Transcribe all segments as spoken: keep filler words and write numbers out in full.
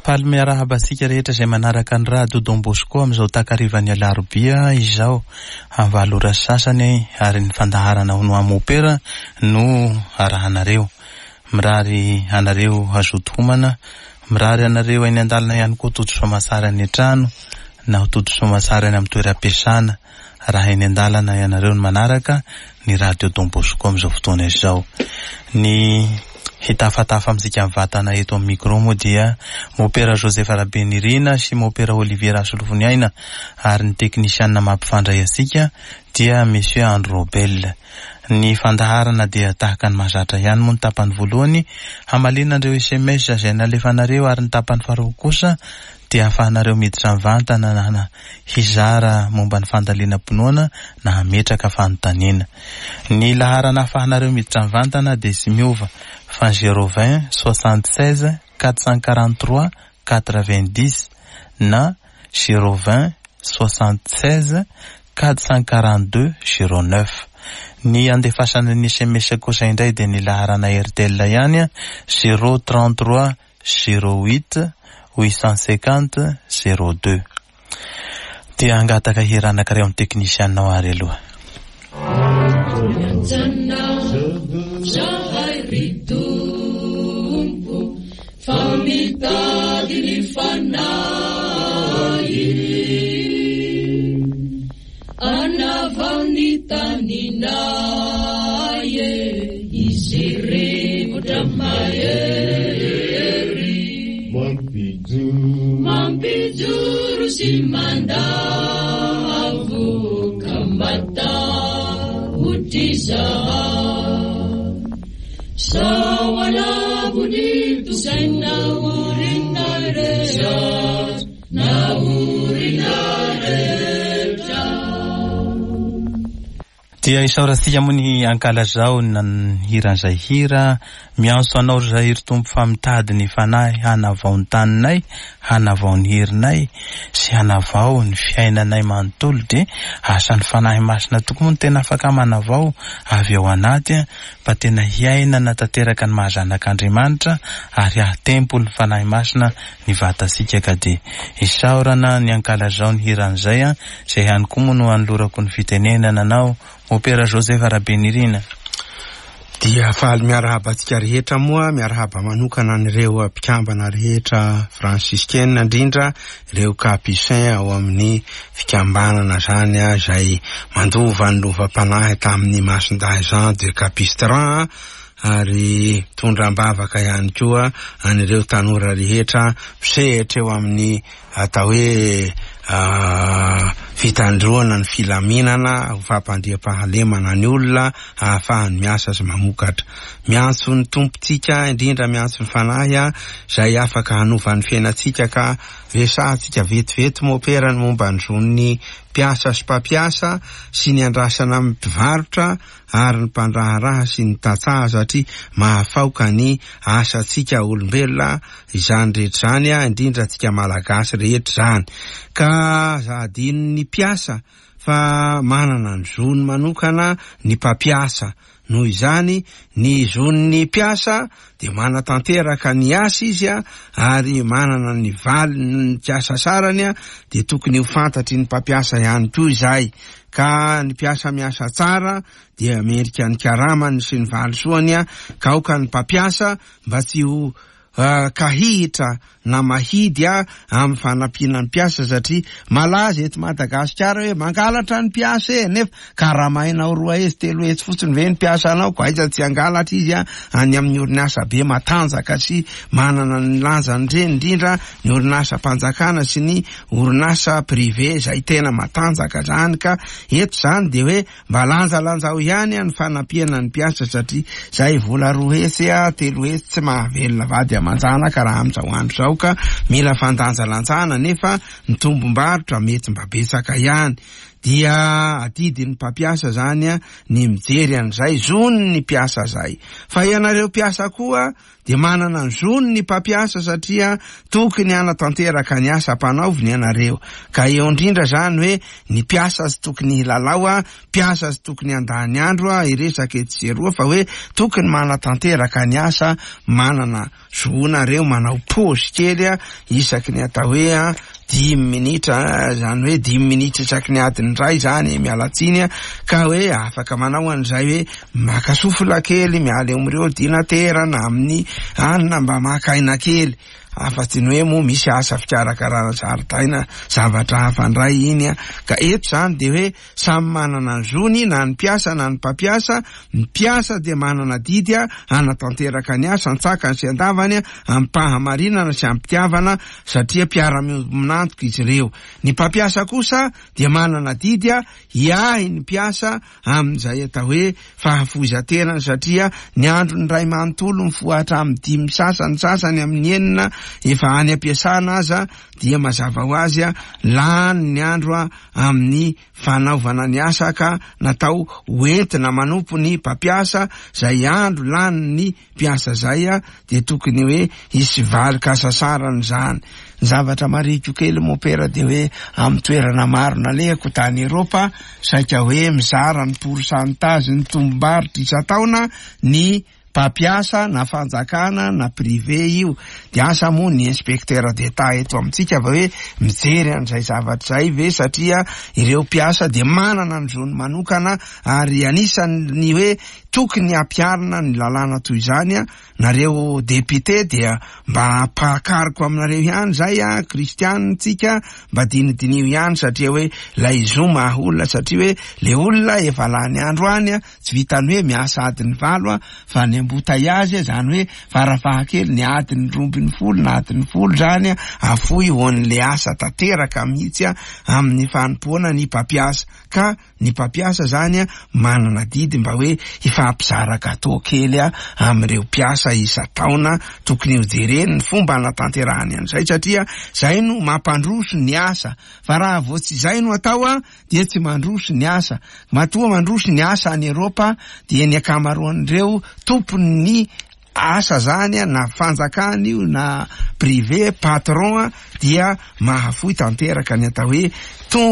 Faly miarahaba antsika rehetra izay manaraka ny Radio Don Bosco amin'izao takarivan'ny alarobia izao amin'ny valo ora sy sasany, ary ny fandaharana ho no mopera no arahanareo. Mirary anareo hazoto homana, mirary anareo eny an-dalana ihany koa tody soamantsara any an-trano na ho tody soamantsara any amin'ny toeram-piasana raha eny an-dalana ianareo no manaraka ny Radio Don Bosco amin'izao fotoana izao. Ny hitafatafa amintsika mivantana eto amin'ny micro moa dia Mopera Joseph Rabenirina sy Mopera Olivier Rasolofoniaina, ary ny teknisianina mampifandray antsika dia Monsieur Andro Robel. Ny fandaharana dia tahaka ny mahazatra ihany moa ny tapany voalohany hamaliana ireo S M S izay nalefanareo, ary ny tapany faharoa kosa dia ahafahanareo miditra mivantana na hizara momba ny fandalinam-pinoana na hametraka fanontaniana. Ny laharana ahafahanareo miditra mivantana dia tsy miova fa zéro vingt soixante-seize quatre cent quarante-trois quatre-vingt-dix na zéro vingt soixante-seize quatre cent quarante-deux zéro neuf. Ny andefasana ny S M S kosa indray dia ny laharana Airtel ihany zéro trente-trois zéro huit huit cent cinquante zéro deux. Dia hangataka hira anankiray amin'ny teknisianao ary aloha. Mampijoro sy mandavo ka matahotra izaho. Sao alavo ny tosaina orina rehetra, na orina rehetra. Dia isaorantsika moa ny ankalazao ny hiran'izay hira miantso anao ry zahay ry Tompo fa mitady ny fanahy hanavao ny taninay, hanavao ny herinay sy hanavao ny fiainanay manontolo. Dia asan'ny Fanahy Masina tokoa moa no tena afaka manavao avy ao anaty mba tena hiainana tanteraka ny maha zanak'Andriamanitra ary hahatempo ny Fanahy Masina ny vatantsika. Ka dia isaorana ny ankalazao ny hiran'izay, izay ihany koa moa no anolorako ny fitenenana anao Mopera Joseph Rabenirina. Dia faly miarahaba antsika rehetra moa, miarahaba manokana an'ireo mpikambana rehetra fransiskena, indrindra ireo capucin ao amin'ny fikambanana zany izay mandova ny lovam-panahy tamin'ny Masindahy Jean de Capistran, ary mitondra am-bavaka ihany koa an'ireo tanora rehetra misehatra eo amin'ny atao hoe fitandroana ny filaminana ho fampandriam-pahalemana ny olona ahafahany miasa sy mamokatra. Miantso ny Tompontsika, indrindra miantso ny Fanahy izay afaka hanova ny fiainantsika, ka resahantsika vetivety mopera ny momba ny zon'ny mpiasa sy mpampiasa sy ny andrasana amin'ny mpivarotra ary ny mpandraharaha sy ny tantsaha, satria mahafaoka ny asantsika olombelona izany rehetra izany, indrindra antsika Malagasy rehetra izany. Ka aza adinon'ny mpiasa fa manana ny zony manokana ny mpampiasa. Noho izany ny zon'ny mpiasa dia manatanteraka ny asa izy ary manana ny valiny ny asasarany, dia tokony ho fantatry ny mpampiasa ihany koa izay. Ka ny mpiasa miasa tsara dia mendrika ny karamany sy ny valisoany, ka aoka ny mpampiasa mba tsy ho kahihitra na mahidy amin'ny fanampiana ny mpiasa, satria malaza eto Madagasikara hoe mangalatra ny mpiasa e, nefa karamainao roa hetsy telo hetsy fotsiny ve ny mpiasa anao, ko aiza tsy hangalatra izy any amin'ny orinasa be matanjaka sy manana ny lanjany ireny, indrindra ny orinasam-panjakana sy ny orinasa privé izay tena matanjaka zany. Ka eto zany dia hoe mba lanjalanjao ihany ny fanampiana ny mpiasa, satria zay vola roa hetsy telo hetsy tsy mahavelona vady aman-janaka raha amin'izao andro izao, ka mila fandanjalanjana nefa ny tombom-barotra mety mba betsaka ihany. dia adidin'ny mpampiasa zany a ny mijery an'izay zony ny mpiasa zay. Fa ianareo mpiasa koa dia manana ny zony ny mpampiasa satria tokony hanatanteraka ny asa ampanaoviny ianareo. Ka eo indrindra zany hoe ny mpiasa tsy tokony hilalao a, mpiasa tsy tokony handany andro a, hiresaka etsy sy eroa, fa hoe tokony manatanteraka ny asa, manana zonareo manao pause kely a isaky ny atao hoe a dimy minitra, zany hoe dimy minitra isaky ny adiny iray zany, miala tsiny a, ka hoe afaka manao an'izay hoe maka sofola kely, miala eo amin'ireo ordinatera na amin'ny anina mba maka aina kely, afa-tsy ny hoe moa misy asa fikarakarana zaridaina zavatra hafa indray iny a. Ka eto zany de hoe samy manana ny zony na ny mpiasa na ny mpampiasa. Ny mpiasa dia manana didy a hanatanteraka ny asa an-tsakany sy an-davany a amim-pahamarinana sy am-pitiavana satria mpiara-miombon'antoka izy ireo. Ny mpampiasa kosa dia manana didy a hiahy ny mpiasa amin'izay atao hoe fahafoizan-tenany satria ny andron'ny ray manontolo mifoha hatramin'ny dimy sasany sasany amin'ny enina efa any am-piasana aza dia mazava ho azy a lany ny andro a amin'ny fanaovana ny asa ka natao hoentina manompo ny mpampiasa. Zay andro lany ny mpiasa zay a dia tokony hoe hisy valin-kasasarana zany. Ny zavatra mariko kely mopera dia hoe amin'ny toerana maro nalehako tany Eropa saika hoe mizara ny pourcentage ny tombom-barotra isan-taona ny mpampiasa na fanjakana na privé io. Dia asa moa ny inspecteur d'État eto amintsika va hoe mijery an'izay zavatra izay ve, satria ireo mpiasa dia manana ny zony manokana ary anisan'ny hoe tokony hampiharina ny lalàna toy izany a. Nareo député dia mba ampahakariko aminareo ihany zay a, kristianina tsika, mba dinidinio ihany satria hoe lay zo maha olona, satria hoe le olona efa lany andro any a, tsy vitany hoe miasa adiny valo a, fa ny ambotaiazy zany hoe farafahakely ny adiny roa ambin'ny folo na adiny folo zany a, afoy ho an'le asa tanteraka mihitsy a amin'ny fanompoana ny mpampiasa. Ka ny mpampiasa zany a manana didy mba hoe hifampizara gâteau kely a amin'ireo mpiasa isan-taona, tokony ho jereny ny fomba hanatanterahany an'izay satria zay no mampandroso ny asa. Fa raha vao tsy zay no atao a dia tsy mandroso ny asa. Matoa mandroso ny asa any Eropa dia ny ankamaroan'ireo tompon'ny asa zany a, na fanjakana io na privé, patron a, dia mahafoy tanteraka ny atao hoe to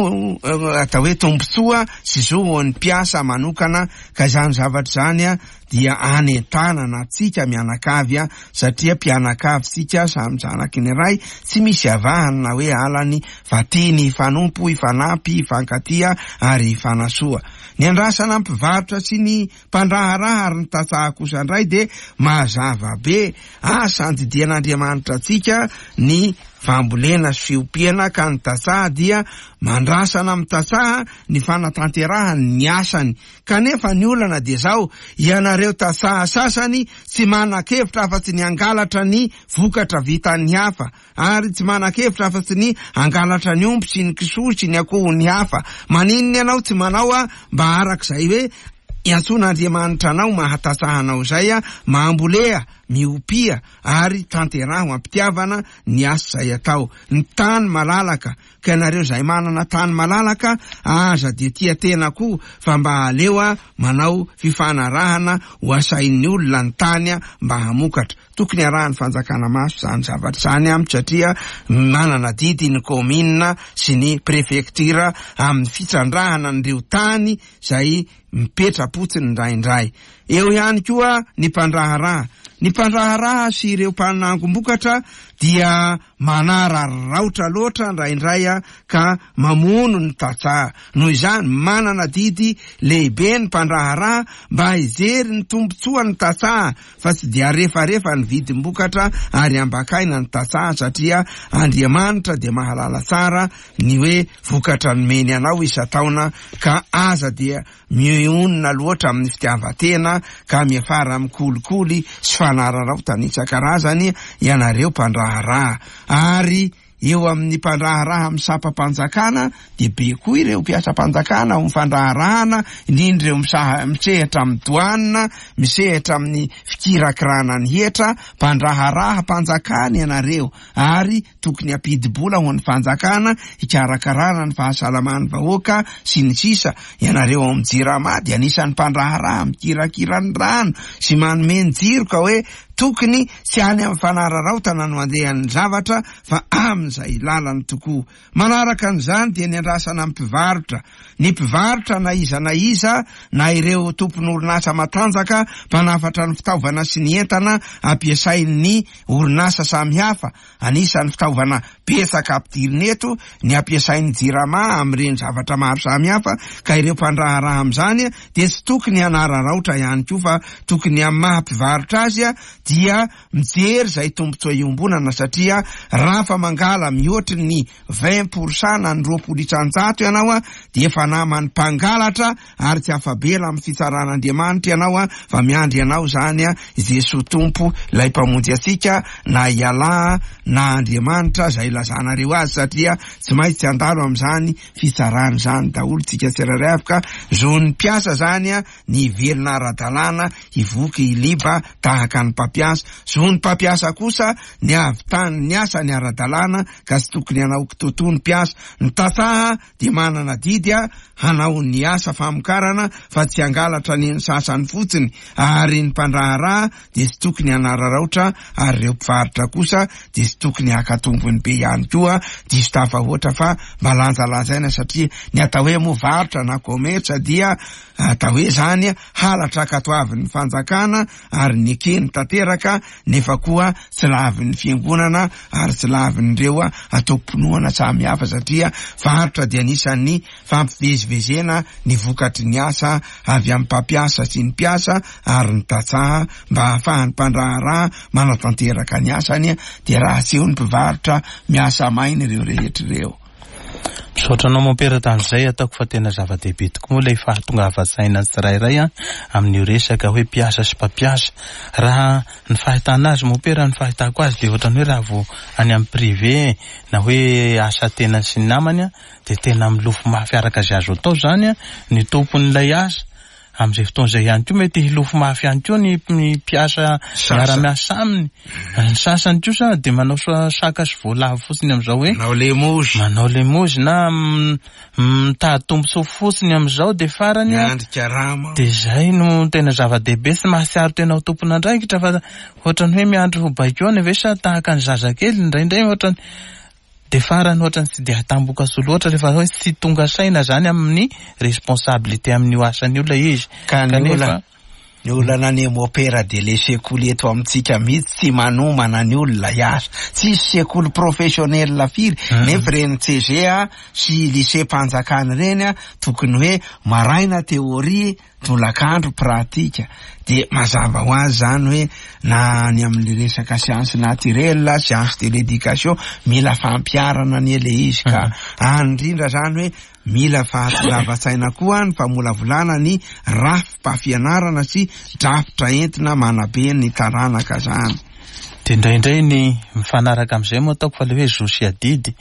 atao hoe tombontsoa sy zo ho an'ny mpiasa manokana. Ka izany zavatra izany a dia anentanana antsika mianakavy a, satria mpianakavy tsika samy zanaky ny ray, tsy misy avahana na hoe alany, fa tiany hifanompo, hifanampy, hifankatia ary hifanasoa. Ny andrasana mpivarotra sy ny mpandraharaha ary ny tantsaha kosa indray dia mazava be asa andidian'Andriamanitra antsika ny fambolena sy fiompiana, ka ny tantsaha dia mandrasana amin'ny tantsaha ny fanatanterahany ny asany. Kanefa ny olana dia zao, ianareo tantsaha sasany tsy manan-kevitra afa-tsy ny hangalatra ny vokatra vitan'ny hafa, ary tsy manan-kevitra afa-tsy ny hangalatra ny omby sy ny kisoa sy ny akohon'ny hafa. Maninona ianao tsy manao a mba arak'izay hoe iantsoan'Andriamanitra anao mahatatsahanao izay a, mambolea, miopia ary tanteraho am-pitiavana ny asa izay atao. Ny tany malalaka, ka ianareo izay manana tany malalaka aza dia tia tena koa, fa mba aleo a manao fifanarahana ho asain'ny olona ny tany a mba hamokatra. Tokony arahan'ny fanjakana maso izany zavatra izany amiko, satria manana didy ny kaominina sy ny prefektura amin'ny fitrandrahana an'ireo tany izay mipetra-potsiny indraindray. Eo ihany koa ny mpandraharaha. Ny mpandraharaha sy ireo mpanangom-bokatra dia manararaotra loatra indraindray a ka mamono ny tantsaha. Noho izany, manana didy lehibe ny mpandraharaha mba hijery ny tombontsoan'ny tantsaha, fa tsy dia refarefa ny vidim-bokatra ary ambakaina ny tantsaha, satria Andriamanitra dia mahalala tsara ny hoe vokatra nomeny anao isan-taona, ka aza dia mionona loatra amin'ny fitiavan-tena ka miafara amin'ny kolikoly sy fanararaotana isan-karazany ianareo mpandraharaha. Ary eo amin'ny mpandraharaha amin'ny sampam-panjakana dia be koa ireo mpiasam-panjakana ao amin'ny fandraharahana, indrindra ireo misaha- misehatra amin'ny doanina, misehatra amin'ny fikirakirana ny hetra. Mpandraharaha-mpanjakana ianareo ary tokony hampidi-bola ho an'ny fanjakana hikarakarana ny fahasalaman'ny vahoaka sy ny sisa. Ianareo ao amin'ny Jirama dia anisan'ny mpandraharaha mikirakira ny rano sy manome ny jiro, ka hoe tokony tsy any amin'ny fanararaotana no andehan'ny zavatra fa amin'izay lalany tokoa. Manaraka an'izany dia ny andrasana amin'ny mpivarotra. Ny mpivarotra na iza na iza, na ireo tompon'orinasa matanjaka mpanafatra ny fitaovana sy ny entana ampiasain'ny orinasa samihafa. Anisan'ny fitaovana betsaka ampidirina eto ny ampiasain'ny Jirama amin'ireny zavatra maro samihafa, ka ireo mpandraharaha amin'izany dia tsy tokony hanararaotra ihany koa, fa tokony amin'ny maha mpivarotra azy dia mijery izay tombontsoa iombonana, satria raha fa mangala mihoatry ny vingt pour cent na ny roapolo isan-jato ianao dia efa naman'ny mpangalatra ary tsy afa-bela amin'ny fitsaran'Andriamanitra ianao, fa miandry anao zany i Jesoa Tompo ilay mpamonjy antsika, na i Allah na Andriamanitra izay ilazanareo azy, satria tsy maintsy handalo amin'izany fitsarana izany daholo tsika tsirairay avy. Ka zon'ny mpiasa zany ny hivelona ara-dalàna, hivoky hiliba tahaka ny mpampiasa. Zon'ny mpampiasa kosa ny hahavitany ny asany ara-dalàna, ka tsy tokony hanao kitotoa ny mpiasa. Ny tantsaha dia manana didy hanao ny asa famokarana fa tsy hangalatra ny sasany fotsiny, ary ny mpandraharaha dia tsy tokony hanararaotra, ary ireo mpivarotra kosa dia tsy tokony haka tombony be ihany koa, diso tafahoatra fa mba lanjalanjaina, satria ny atao hoe moa varotra na commerce dia atao hoe zany halatra ankatoavin'ny fanjakana ary nekeny tanteraka, nefa koa tsy lavin'ny fiangonana ary tsy lavin'ireo ataom-pinoana samihafa, satria varotra dia anisan'ny fampivezivezena ny vokatry ny asa avy amin'ny mpampiasa sy ny mpiasa ary ny tantsaha mba hahafahan'ny mpandraharaha manatanteraka ny asany. Dia raha tsy eo ny mpivarotra, miasa maina ireo rehetra ireo. Misaotra anao mompera tamin'izay, ataoko fa tena zava-dehibe tokoa moa ilay fahatongavan-tsaina ny tsirairay amin'io resaka hoe mpiasa sy mpampiasa. Raha ny fahitana azy mompera, ny fahitako azy dia ohatran'ny hoe raha vao any amin'ny privé na hoe asa tena sy ny namany dia tena milofo mafy araka izay azo atao zany ny tompon'ilay asa. Amin'izay fotoana izay ihany koa mety hilofo mafy ihany koa ny mpiasa miara-miasa aminy. Ny sasany kosa dia manao saka sy voalavo fotsiny amin'izao hoe manao lemozy, manao lemozy na mitady tombontsoa fotsiny amin'izao dia farany miandry karama. Dia izay no tena zava-dehibe, tsy mahatsiaro tena ho tompon'andraikitra fa ohatran'ny hoe miandry ho baikoana ve sa tahaka ny zazakely indraindray ohatran'ny dia farany ohatran'ny tsy dia atamboka soa loatra rehefa hoe tsy tonga saina zany amin'ny responsabilité amin'io asan'io ilay izy. Ka ny olana ny olana ny mopera dia le sekoly eto amintsika mihitsy tsy manomana ny olona hiasa. Tsisy sekoly professionnel firy, nefa ireny C G A sy lycée mpanjakana ireny tokony hoe maraina théorie, tolakandro pratique. Dia mazava ho azy zany hoe na ny amin'ny resaka science naturelle, science de l'éducation, mila fampiharana ny le izy. Ka any indrindra zany hoe mila fahatongavan-tsaina koa ny famolavolana ny rafi-pampianarana sy drafitra entina manabe ny taranaka zany. Dia indraindray ny mifanaraka amin'izay moa ataoko fa le hoe zo sy adidy.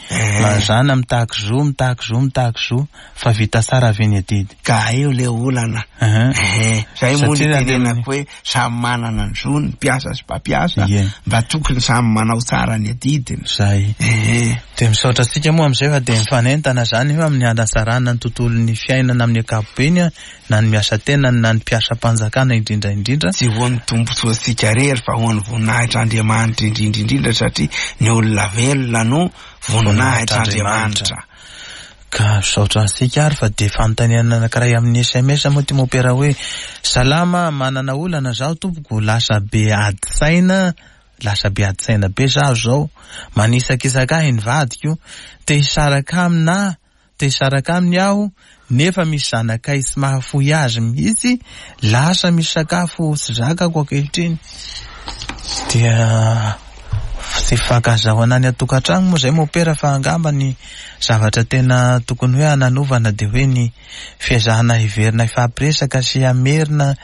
Mazàna mitaky zo, mitaky zo, mitaky zo, fa vita tsara ve ny adidy? Ka eo le olana. Zay moa ny tenenako hoe samy manana ny zo ny mpiasa sy mpampiasa, mba tokony samy manao tsara ny adidiny. Zay. Dia misaotra antsika moa amin'izay fa dia mifanentana zany io amin'ny hanatsarana ny tontolon'ny fiainana amin'ny ankapobeny, na ny miasa tena na ny mpiasam-panjakana indrindra indrindra. Tsy ho an'ny tombontsoantsika irery fa ho an'ny voninahitr'Andriamanitra indrindra indrindra, satria ny olona velona no voninahitr'Andriamanitra. Ka misaotra antsika ary fa dia fanontaniana anankiray amin'ny S M S moa ty mompera hoe salama, manana olana zaho tompoko, lasa be ady saina, lasa be ady saina be zaho zao, manisakisaka ahy ny vadiko, te hisaraka amina, te hisaraka aminy aho, nefa misy zanakay tsy mahafoy azy mihitsy, lasa misy sakafo tsy zakako ankehitriny. Dia tsy fankazahoana any an-tokantrano moa izay mompera, fa angamba ny zavatra tena tokony hoe hananovana dia hoe ny fiezahana hiverina hifampiresaka sy hamerina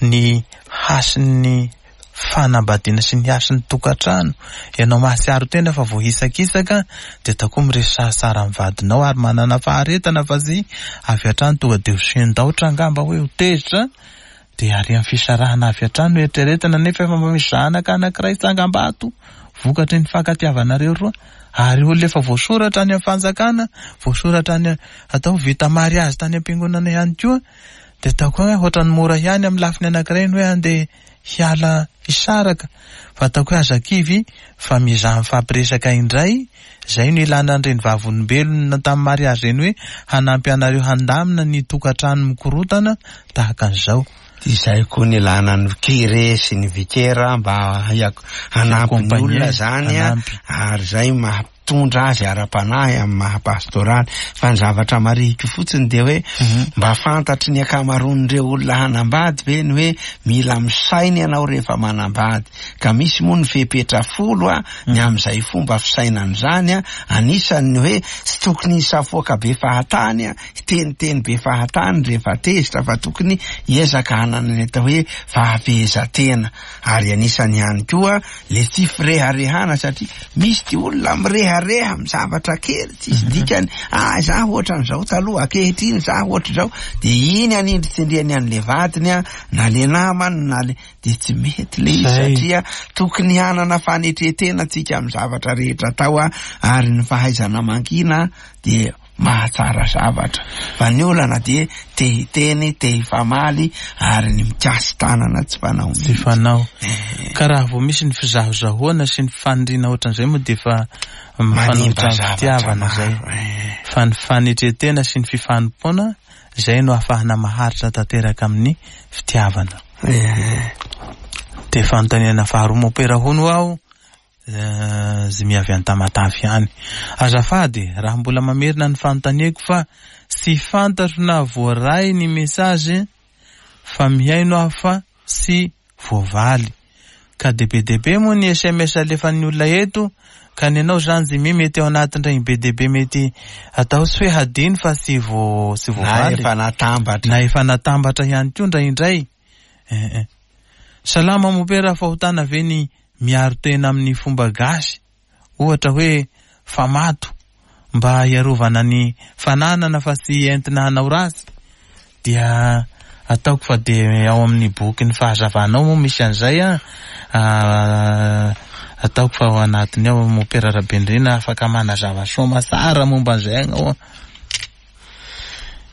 ny hasin'ny fanambadiana sy ny hasin'ny tokantrano, ianao mahatsiaro tena fa voahisakisaka, dia atao koa miresaha tsara amin'ny vadinao ary manana faharetana fa tsy avy hatrany tonga dia ho sendaotra angamba hoe ho tezitra, dia ary amin'ny fisarahana avy hatrany no eritreretina nefa efa mba misy zanaka anankiray tsangambato vokatry ny fankatiavanareo roa, ary olona efa voasoratra any amin'ny fanjakana, voasoratra any atao vita mariazy tany am-piangonana ihany koa, dia atao koa hoe ohatran'ny mora ihany amin'ny lafiny anankiray ny hoe andeha hiala hisaraka, fa ataoko hoe aza kivy fa mizaha mifampiresaka indray. Izay no ilana an'ireny vavolombelona tamin'ny mariazy ireny hoe hanampy anareo handamina ny tokantrano mikorotana tahaka an'izao. Izay koa ny ilana ny curé sy ny vikera mba hanampy ny olona zany, ary izay mahatondra azy ara-panahy amin'ny maha-pastoraly. Fa ny zavatra marihiko fotsiny dia hoe mba fantatry ny ankamaroan'ireo olona hanambady ve ny hoe mila misaina ianao rehefa manambady, ka misy moa ny fepetra folo a ny amin'izay fomba fisainana izany a, anisan'ny hoe tsy tokony hisafoaka be fahatany a, hiteniteny be fahatany rehefa tezitra, fa tokony hiezaka hanana ny atao hoe fahafehezan-tena. Ary anisany ihany koa le tsy fireharehana, satria misy ty olona mirehareha amin'ny zavatra kely tsisy dikany, ah za ohatran'izao taloha, ankehitriny za ohatr'izao, dia iny anindritsindriany an'le vadiny a, na le namany na le, dia tsy mety le izy, satria tokony hanana fanetretena tsika amin'ny zavatra rehetra atao a, ary ny fahaizana mangina dia mahatsara zavatra. Fa ny olana dia te hiteny, te hifamaly, ary ny mikasy tanana tsy fanao mihitsy. Tsy fanao. Ka raha vao misy ny fizahozahoana sy ny faniriana ohatran'izay moa dia efa mifanohitra amin'ny fitiavana izay. Fa ny fanetretena sy ny fifanompoana izay no ahafahana maharitra tanteraka amin'ny fitiavana. Dia fanontaniana faharoa mopera hono aho, Zimy avy any Tamatave ihany. Azafady raha mbola mamerina ny fanontaniako fa tsy fantatro na voaray ny message fa mihaino aho fa tsy voavaly. Ka de be dia be moa ny S M S alefan'ny olona eto, ka ny anao zany Jimmy mety ao anatin'ireny be dia be mety atao tsy hoe hadino fa tsy vo, tsy voavaly. Na efa natambatra. Na efa natambatra ihany koa indraindray. Eh, eh. Salama mopera, fahotana ve ny miaro tena amin'ny fomba gasy, ohatra hoe famato mba hiarovana ny fananana fa tsy entina hanao ratsy? Dia ataoko fa dia ao amin'ny boky ny fahazavanao moa misy an'izay a, ataoko fa ao anatiny ao mopera Rabendrina afaka manazava soa tsara momba an'izay ianao.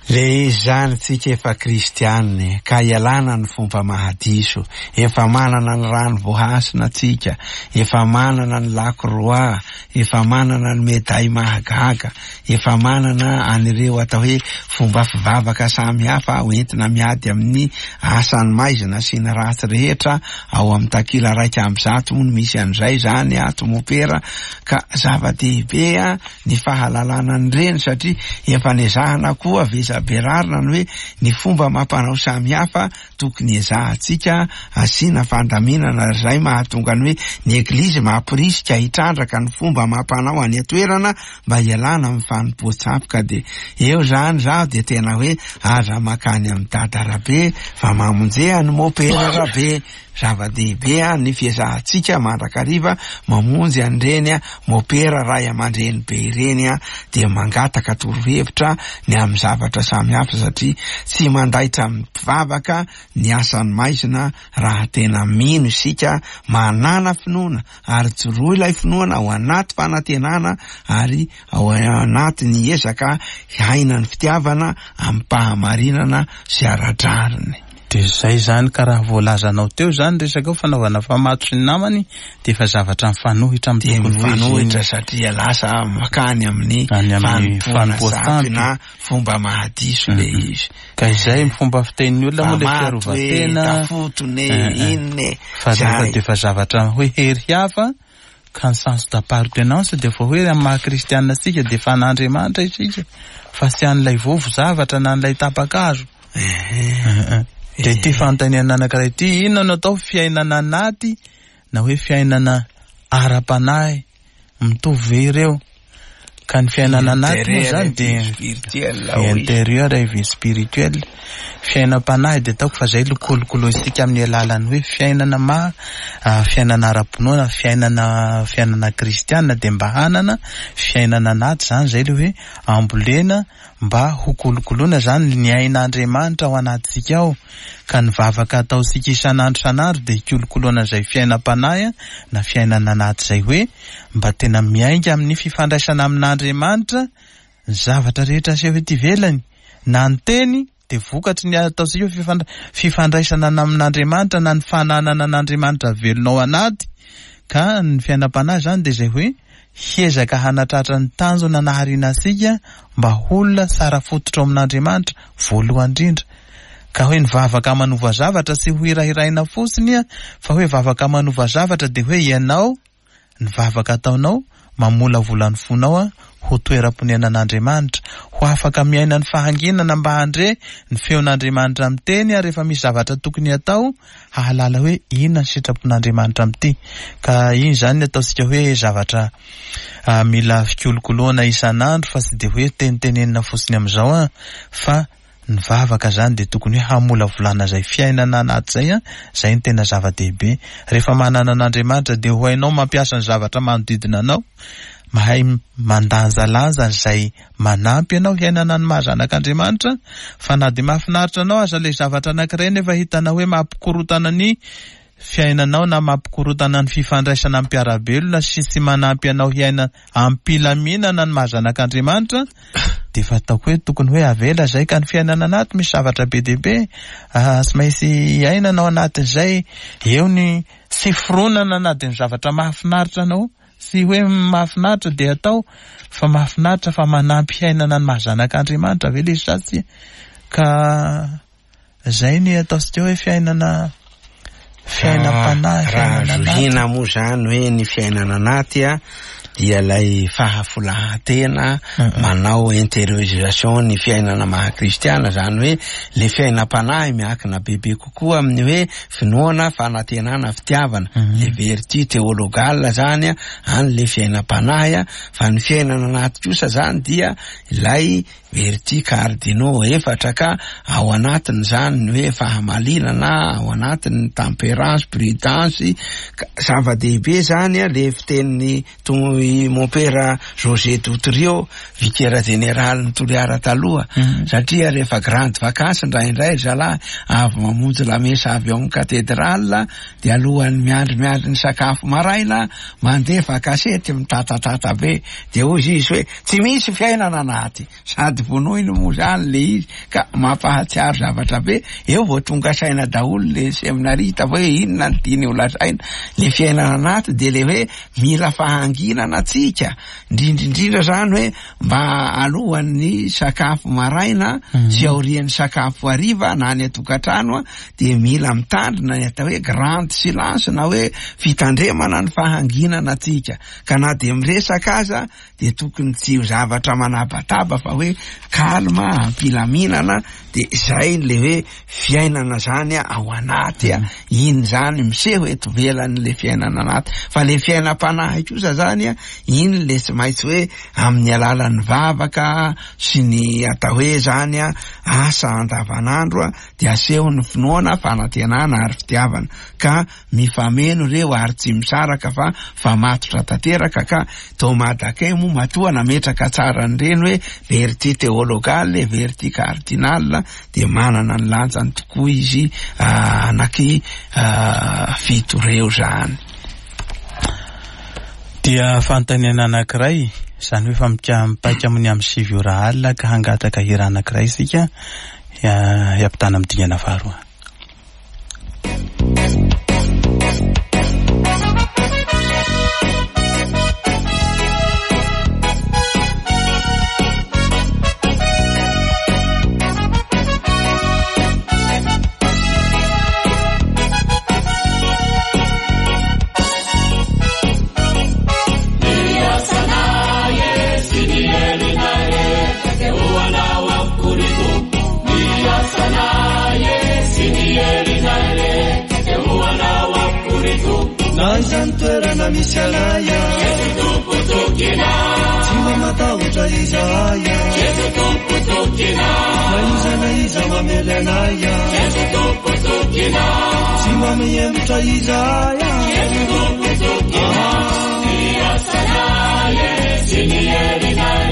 Le izy zany tsika efa kristianina ka ialana ny fomba mahadiso, efa manana ny rano voahasina tsika, efa manana ny lakroa, efa manana ny meday mahagaga, efa manana an'ireo atao hoe fomba fivavaka samihafa hoentina miady amin'ny asan'ny maizina sy ny ratsy rehetra. Ao amin'ny takila raika amby zato moa no misy an'izay zany ato mopera, ka zava-dehibe a ny fahalalana an'ireny, satria efa nezahana koa vezaberarina ny hoe ny fomba mampanao samihafa tokony ezahantsika asiana fandaminana, izay mahatonga ny hoe ny eglizy mampirisika hitrandraka ny fomba mampanao any an-toerana mba hialana amin'ny fanompoan-tsampy. Ka dia eo zany zaho dia tena hoe aza makany amin'ny dada Rabe fa mamonjea ny mopera Rabe. Zava-dehibe a ny fiezahantsika mandrakariva mamonjy an'ireny a mopera ray aman-dreny be ireny a, dia mangataka torohevitra ny amin'ny zavatra samihafa, satria tsy mandaitra amin'ny mpivavaka ny asan'ny maizina raha tena mino isika, manana finoana ary joroa ilay finoana ao anaty fanantenana ary ao anaty ny ezaka hiaina ny fitiavana amim-pahamarinana sy ara-drariny. Dia izay zany, ka raha voalazanao teo zany resaka eo fanaovana famato sy ny namany dia efa zavatra mifanohitra amin'ny Dia tokony ho izy iny. mifanohitra satria lasa makany amin'ny Any amin'ny fanompoana fanompoan-tsampy. sampy na fomba mahadiso le Mhm. izy. Ka izay fomba fitenin'ny olona moa le Famato e, fiarovan-tena. tafotony e, Eh, eh. inona e. Fa rehefa Zay. dia efa zavatra hoe hery hafa, ka ny sens d'appartenance dia efa hoe amin'ny maha kristianina antsika dia efa an'Andriamanitra isika, fa tsy an'ilay vovo zavatra na an'ilay tapakazo. Eh, Eh, eh. Dia ity fanontaniana anankiray ity, inona no atao fiainana anaty na hoe fiainana ara-panahy? Mitovy ve ireo? Ka ny fiainana anaty moa zany dia vie intérieure et vie spirituelle. Fiainam-panahy dia ataoko fa zay lokolokolointsika amin'ny alalan'ny hoe fiainana ma fiainana ara-pinoana, fiainana fiainana kristiana, dia mba hanana fiainana anaty zany, zay le hoe ambolena mba ho kolokoloina zany ny ain'Andriamanitra ao anatintsika ao. Ka ny vavaka ataontsika isan'andro isan'andro dia hikolokoloana izay fiainam-panahy na fiainana anaty izay, hoe mba tena miainga amin'ny fifandraisana amin'Andriamanitra ny zavatra rehetra aseho ety ivelany, na ny teny dia vokatry ny ataontsika hoe fifandraisana amin'Andriamanitra na ny fananana an'Andriamanitra velona ao anaty. Ka ny fiainam-panahy zany dia izay hoe hiezaka hanatratra ny tanjona nahariana antsika mba ho olona tsara fototra ao amin'Andriamanitra voalohany indrindra. Ka hoe ny vavaka manova zavatra tsy ho hirahiraina fotsiny, fa hoe vavaka manova zavatra dia hoe ianao ny vavaka ataonao mamolavola ny fonao ho toeram-ponenan'Andriamanitra, ho afaka miaina ny fahanginana mba handre ny feon'Andriamanitra miteny, ary rehefa misy zavatra tokony atao hahalala hoe inona ny sitrapon'Andriamanitra amin'ity. Ka iny zany ny ataontsika hoe zavatra mila fikolokoloana isan'andro, fa tsy dia hoe tenitenenina fotsiny amin'izao a, fa ny vavaka zany dia tokony hoe hamolavolana izay fiainana anaty zay a, zay ny tena zava-dehibe. Rehefa manana an'Andriamanitra dia ho hainao mampiasa ny zavatra manodidina anao, mahay mandanjalanja izay manampy anao hiainana ny maha zanak'Andriamanitra. Fa na dia mahafinaritra anao aza ilay zavatra anankiray nefa hitanao hoe mampikorotana ny fiainanao na mampikorotana ny fifandraisana amin'ny mpiara-belona sy tsy manampy anao hiaina am-pilaminana ny maha zanak'Andriamanitra, dia efa ataoko hoe tokony hoe avela zay. Ka ny fiainana anaty misy zavatra be dia be tsy maintsy iainana ao anatin'izay. Eo ny tsy fironana na dia ny zavatra mahafinaritra anao, tsy hoe mahafinaritra dia atao, fa mahafinaritra fa manampy hiainana ny maha zanak'Andriamanitra ve ilay izy sa tsia. Ka zay ny ataontsika hoe fiainana fiainam-panahy. Raha zohiana moa zany hoe ny fiainana anaty a dia ilay fahafolahan-tena manao intériorisation ny fiainana maha kristiana, zany hoe le fiainam-panahy miankina bebe kokoa amin'ny hoe finoana, fanantenana, fitiavana, le vertu théologale zany a any le fiainam-panahy a. Fa ny fiainana anaty kosa zany dia ilay vertu cardinaux efatra, ka ao anatiny zany ny hoe fahamalinana, ao anatiny tempérance, prudence. Zava-dehibe zany a le fitenin'ny mon père José Doutrio, vicaire général ny Toliara taloha, satria rehefa grande vacance indraindray zalahy avy mamonjy lamesa avy ao amin'ny cathédrale, dia alohan'ny miandry miandry ny sakafo maraina mandefa kasety mitatatata be, dia hoy izy hoe tsy misy fiainana anaty, sady vonoiny moa zany le izy, ka mampahatsiaro zavatra be. Eo vao tonga saina daholo le seminarista hoe inona ny tiany ho lazaina. Le fiainana anaty dia le hoe mila fahanginana atsika, indrindrindrindra zany hoe mba alohan'ny sakafo maraina sy aorian'ny sakafo hariva na any an-tokantrano dia mila mitandrina ny atao hoe grande silence na hoe fitandremana ny fahanginana atsika. Ka na dia miresaka aza dia tokony tsy ho zavatra manabataba fa hoe calme, ampilaminana, dia zay le hoe fiainana zany ao anaty a, iny zany miseho eto ivelan'le fiainana anaty. Fa le fiainam-panahy kosa zany a, iny le tsy maintsy hoe amin'ny alalan'ny vavaka sy ny atao hoe zany a asa andavanandro a, dia aseho ny finoana, fanantenana ary fitiavana, ka mifameno ireo ary tsy misaraka fa famatotra tanteraka. Ka Thomas d'Aquin moa matoa nametraka tsara an'ireny hoe vertu théologale, vertu cardinale, dia manana ny lanjany tokoa izy anaky fito ireo zany. Dia fanontaniana anankiray, izany hoe fa mipaika amin'ny amin'ny sivy ora alina, ka hangataka hira anankiray isika hiampitana amin'ny dingana faharoa. Yes, Na aiza ny toerana misy anay Jesu Tompo tokinay. Tsy mba matahotra izahay Jesu Tompo tokinay. Na iza na iza mamely anay Jesu Tompo tokinay. Tsy mba mihemotra izahay Jesu Tompo tokinay. Ny asanay sy ny herinay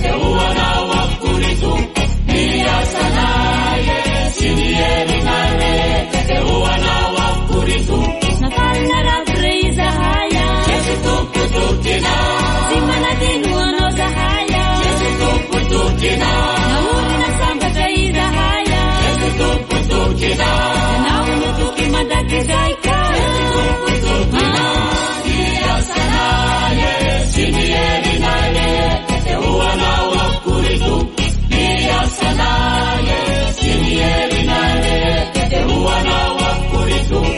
dia ho anao avokoa ry Tompo. Ny asanay sy ny herinay dia ho anao avokoa ry Tompo. Nafanina ravy izahay Jesu Tompo tokinay. Tsy manadino anao zahay Jesu Tompo tokinay. Naorina sambatra izahay Jesu Tompo tokinay. Ianao no toky mandrakizay ka Jesu Tompo tokinay. Ny asanay sy ny herinay dia ho anao avokoa ry Tompo. Ny asanay sy ny herinay dia ho anao avokoa ry Tompo.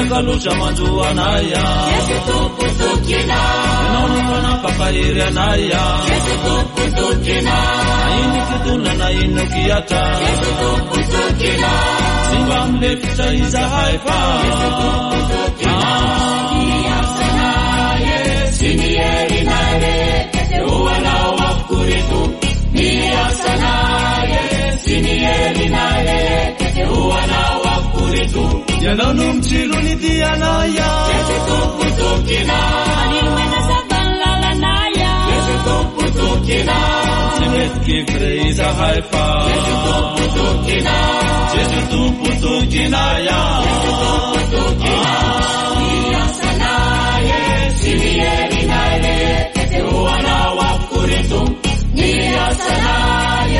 Raha loza manjo anay Jesu Tompo tokinay. Ianao no manampampahery anay Jesu Tompo tokinay. Na ino fitona na ino kiatra Jesu Tompo tokinay. Tsy mba milefitra izahay fa Jesu Tompo tokinay. Ny asanay sy ny herinay dia ho anao avokoa ry Tompo. Ny asanay sy ny herinay dia ho anao avokoa ry Tompo. Ianao no mitsilo ny dianay Jesu Tompo tokinay. Manilo manazava ny lalanay Jesu Tompo tokinay. Tsy mety kivy re izahay fa Jesu Tompo tokinay. Jesu Tompo tokinay Jesu Tompo tokinay. Ny asanay sy ny herinay dia ho anao avokoa ry Tompo. Ny asanay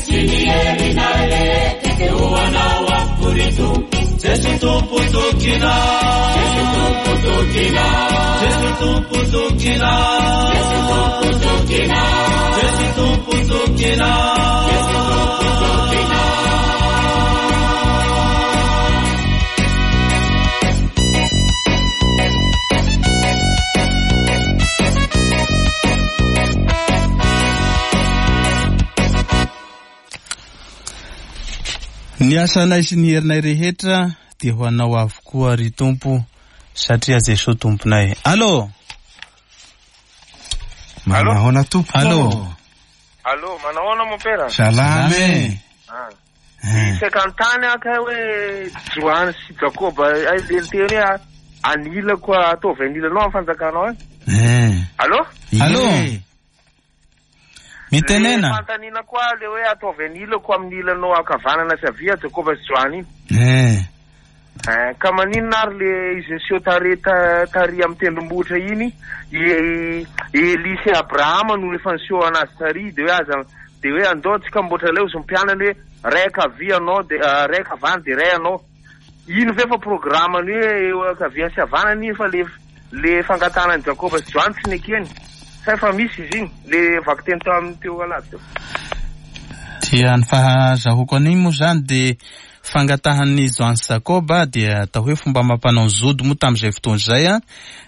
sy ny herinay dia ho anao avokoa ry Tompo. Jesu Tompo tokinay Jesu Tompo tokinay. Jesu Tompo tokinay Jesu Tompo tokinay. Jesu Tompo tokinay Jesu Tompo tokinay. Ny asanay sy ny herinay rehetra dia ho anao avokoa ry Tompo satria Jesoa Tomponay. Allô? Manahoana Tompo? Allô? Allô, manahoana mopera? Salame. Ah. Isaky an-tany aka hoe Joany sy Jakoba ay le niteny hoe anilako ataovy anilanao amin'ny fanjakanao e. Eh. Allô? Allô? Ie. Mitenena. Le fanontaniana koa le hoe ataovy anilako amin'ny ilanao ankavanana sy havia Jakoba sy Joany iny. Eh. Eh, ka maninona ary le izy niseho tare ta- tary amin'ny tendrombohitra iny i Elia sy Abrahama no efa niseho anazy tary de hoe aza de hoe andao tsika miboatra aleo izy mpianany hoe ray ankavia anao de ah, ray ankavana de ray anao iny ve fa programme-ny hoe eo ankavia sy havanana iny fa le le fangatahana an'i Jakoba sy Joany tsy nekeny sa efa misy izy iny le vakiteny teo amin'ny teo alady teo. Dia ny fahazahoako an'iny moa zany dia fangatahan'ny Joany sy Jakoba dia atao hoe fomba mampanao ny zody moa tamin'izay fotoana izay a,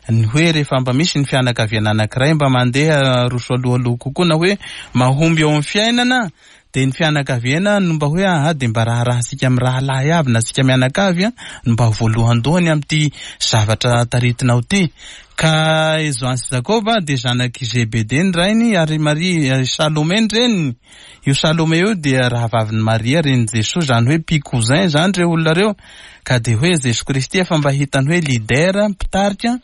ny hoe rehefa mba misy ny fianakaviana anankiray mba mandeha roso alohaloha kokoa na hoe mahomby eo amin'ny fiainana dia ny fianakaviana no mba hoe aha dia mba raharahantsika amin'ny rahalahy avy na tsika mianakavy a no mba voalohandohany amin'ity zavatra taritinao ity. Ka i Joany sy Jakoba dia zanak'i Zebede ny rainy ary Maria ary Salome ny reniny. Io Salome io dia rahavavin'i Maria renin'i Jesoa, zany hoe pi-cousin zany ireo olona ireo. Ka dia hoe Jesoa Kristy efa mba hitany hoe leader mpitarika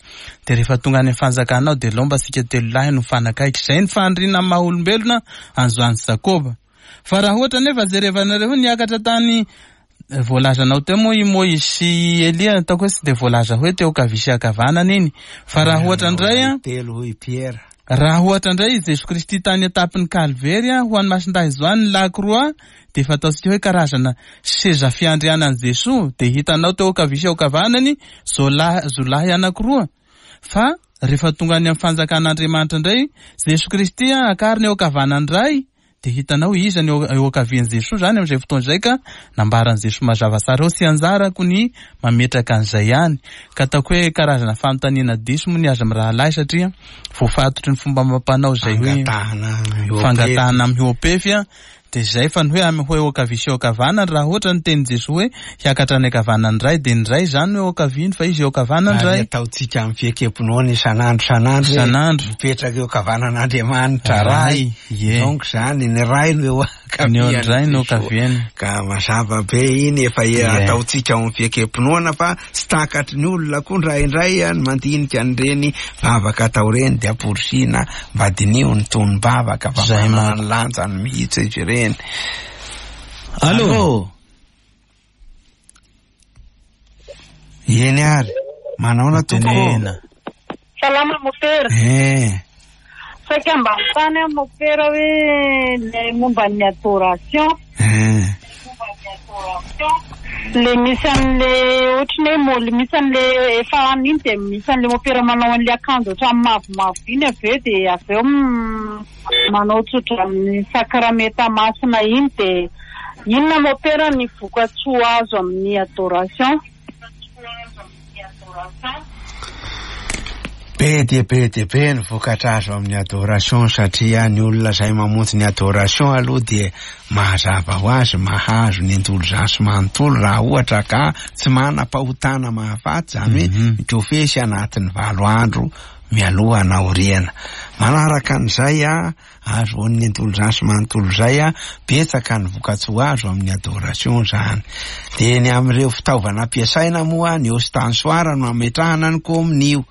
dia rehefa tonga any amin'ny fanjakanao dia aleo mba tsika telo lahy no mifanakaiky. Izay ny faniriana amin'ny maha olombelona an'i Joany sy Jakoba. Fa raha ohatra nefa jerevanareo niakatra tany voalazanao teo moa i Moizy sy Elia, ataoko hoe tsy dia voalaza hoe teo ankavia sy ankavanana iny. Fa raha ohatra indray a, Telo hoy Pierre. raha ohatra indray i Jesoa Kristy tany an-tampony Kalvery a, ho an'ny Masindahy Joany ny Lakroa dia efa ataontsika hoe karazana seza fiandrianan'i Jesoa dia hitanao teo ankavia sy ankavanany zolahy, zolahy anankiroa. Fa rehefa tonga any amin'ny fanjakan'Andriamanitra indray Jesoa Kristy a, akariny eo ankavanany iray De hitanao iza ny eo ankavian'i Jesoa zany amin'izay fotoana izay ka nambaran'i Jesoa mazava tsara eo, tsy anjarako ny mametraka an'izay ihany. Ka ataoko hoe karazana fanontaniana diso moa ny azy mirahalahy satria voafatotry ny fomba amam-panao izay hoe fangatahana mihoa-pefy a. De zay fa ny hoe amy hoe eo ankavia sy eo ankavanana, raha ohatra ny tenin'i Jesoa hoe hiakatra any ankavanana indray, de ny ray zany no eo ankaviany fa izy eo ankavanana indray. Ary ataontsika amin'ny fiekem-pinoana isan'andro isan'andro hoe Isan'andro. mipetraka eo ankavanan'Andriamanitra Ray. Ie. Donc zany ny Ray no eo Ny eo indray no ankavian'i Jesoa. ankaviany. Ka mazava be iny efa Ie. ataontsika ao amin'ny fiekem-pinoana fa tsy takatry ny olona koa indraindray a, ny mandinika an'ireny vavaka atao ireny de amporisihina mba diniho ny tonom-bavaka fa Zay manana manko. ny lanjany mihitsy izy ireny. Allô? Eny ary, manaona tompoko? Tenena. Salama mopera. Eh, Saika mba mitany aho mopera hoe le momba ny adoration. eh. Le misy an'le ohatrany hoe mo- le misy an'le efa an'iny de misy an'le mopera manao an'le akanjo ohatran'ny mavomavo iny avy eo de avy eo m- manao tsotra amin'ny sakramenta masina iny de inona mopera ny vokatsoa azo amin'ny adoration? Be dia be dia be ny vokatra azo amin'ny adoration satria ny olona izay mamonjy ny adoration aloha dia mazava ho azy mahazo ny indolzaso manontolo raha ohatra ka tsy manam-pahotana mahafaty, izany hoe Mhm. mikofesy anatin'ny valo andro mialoha na aoriana. Manaraka an'izay a, azo ny indolzaso manontolo izay a, betsaka ny vokatsoa azo amin'ny adoration zany. De ny amin'ireo fitaovana ampiasaina moa ny ostensoir no ametrahana ny kominio.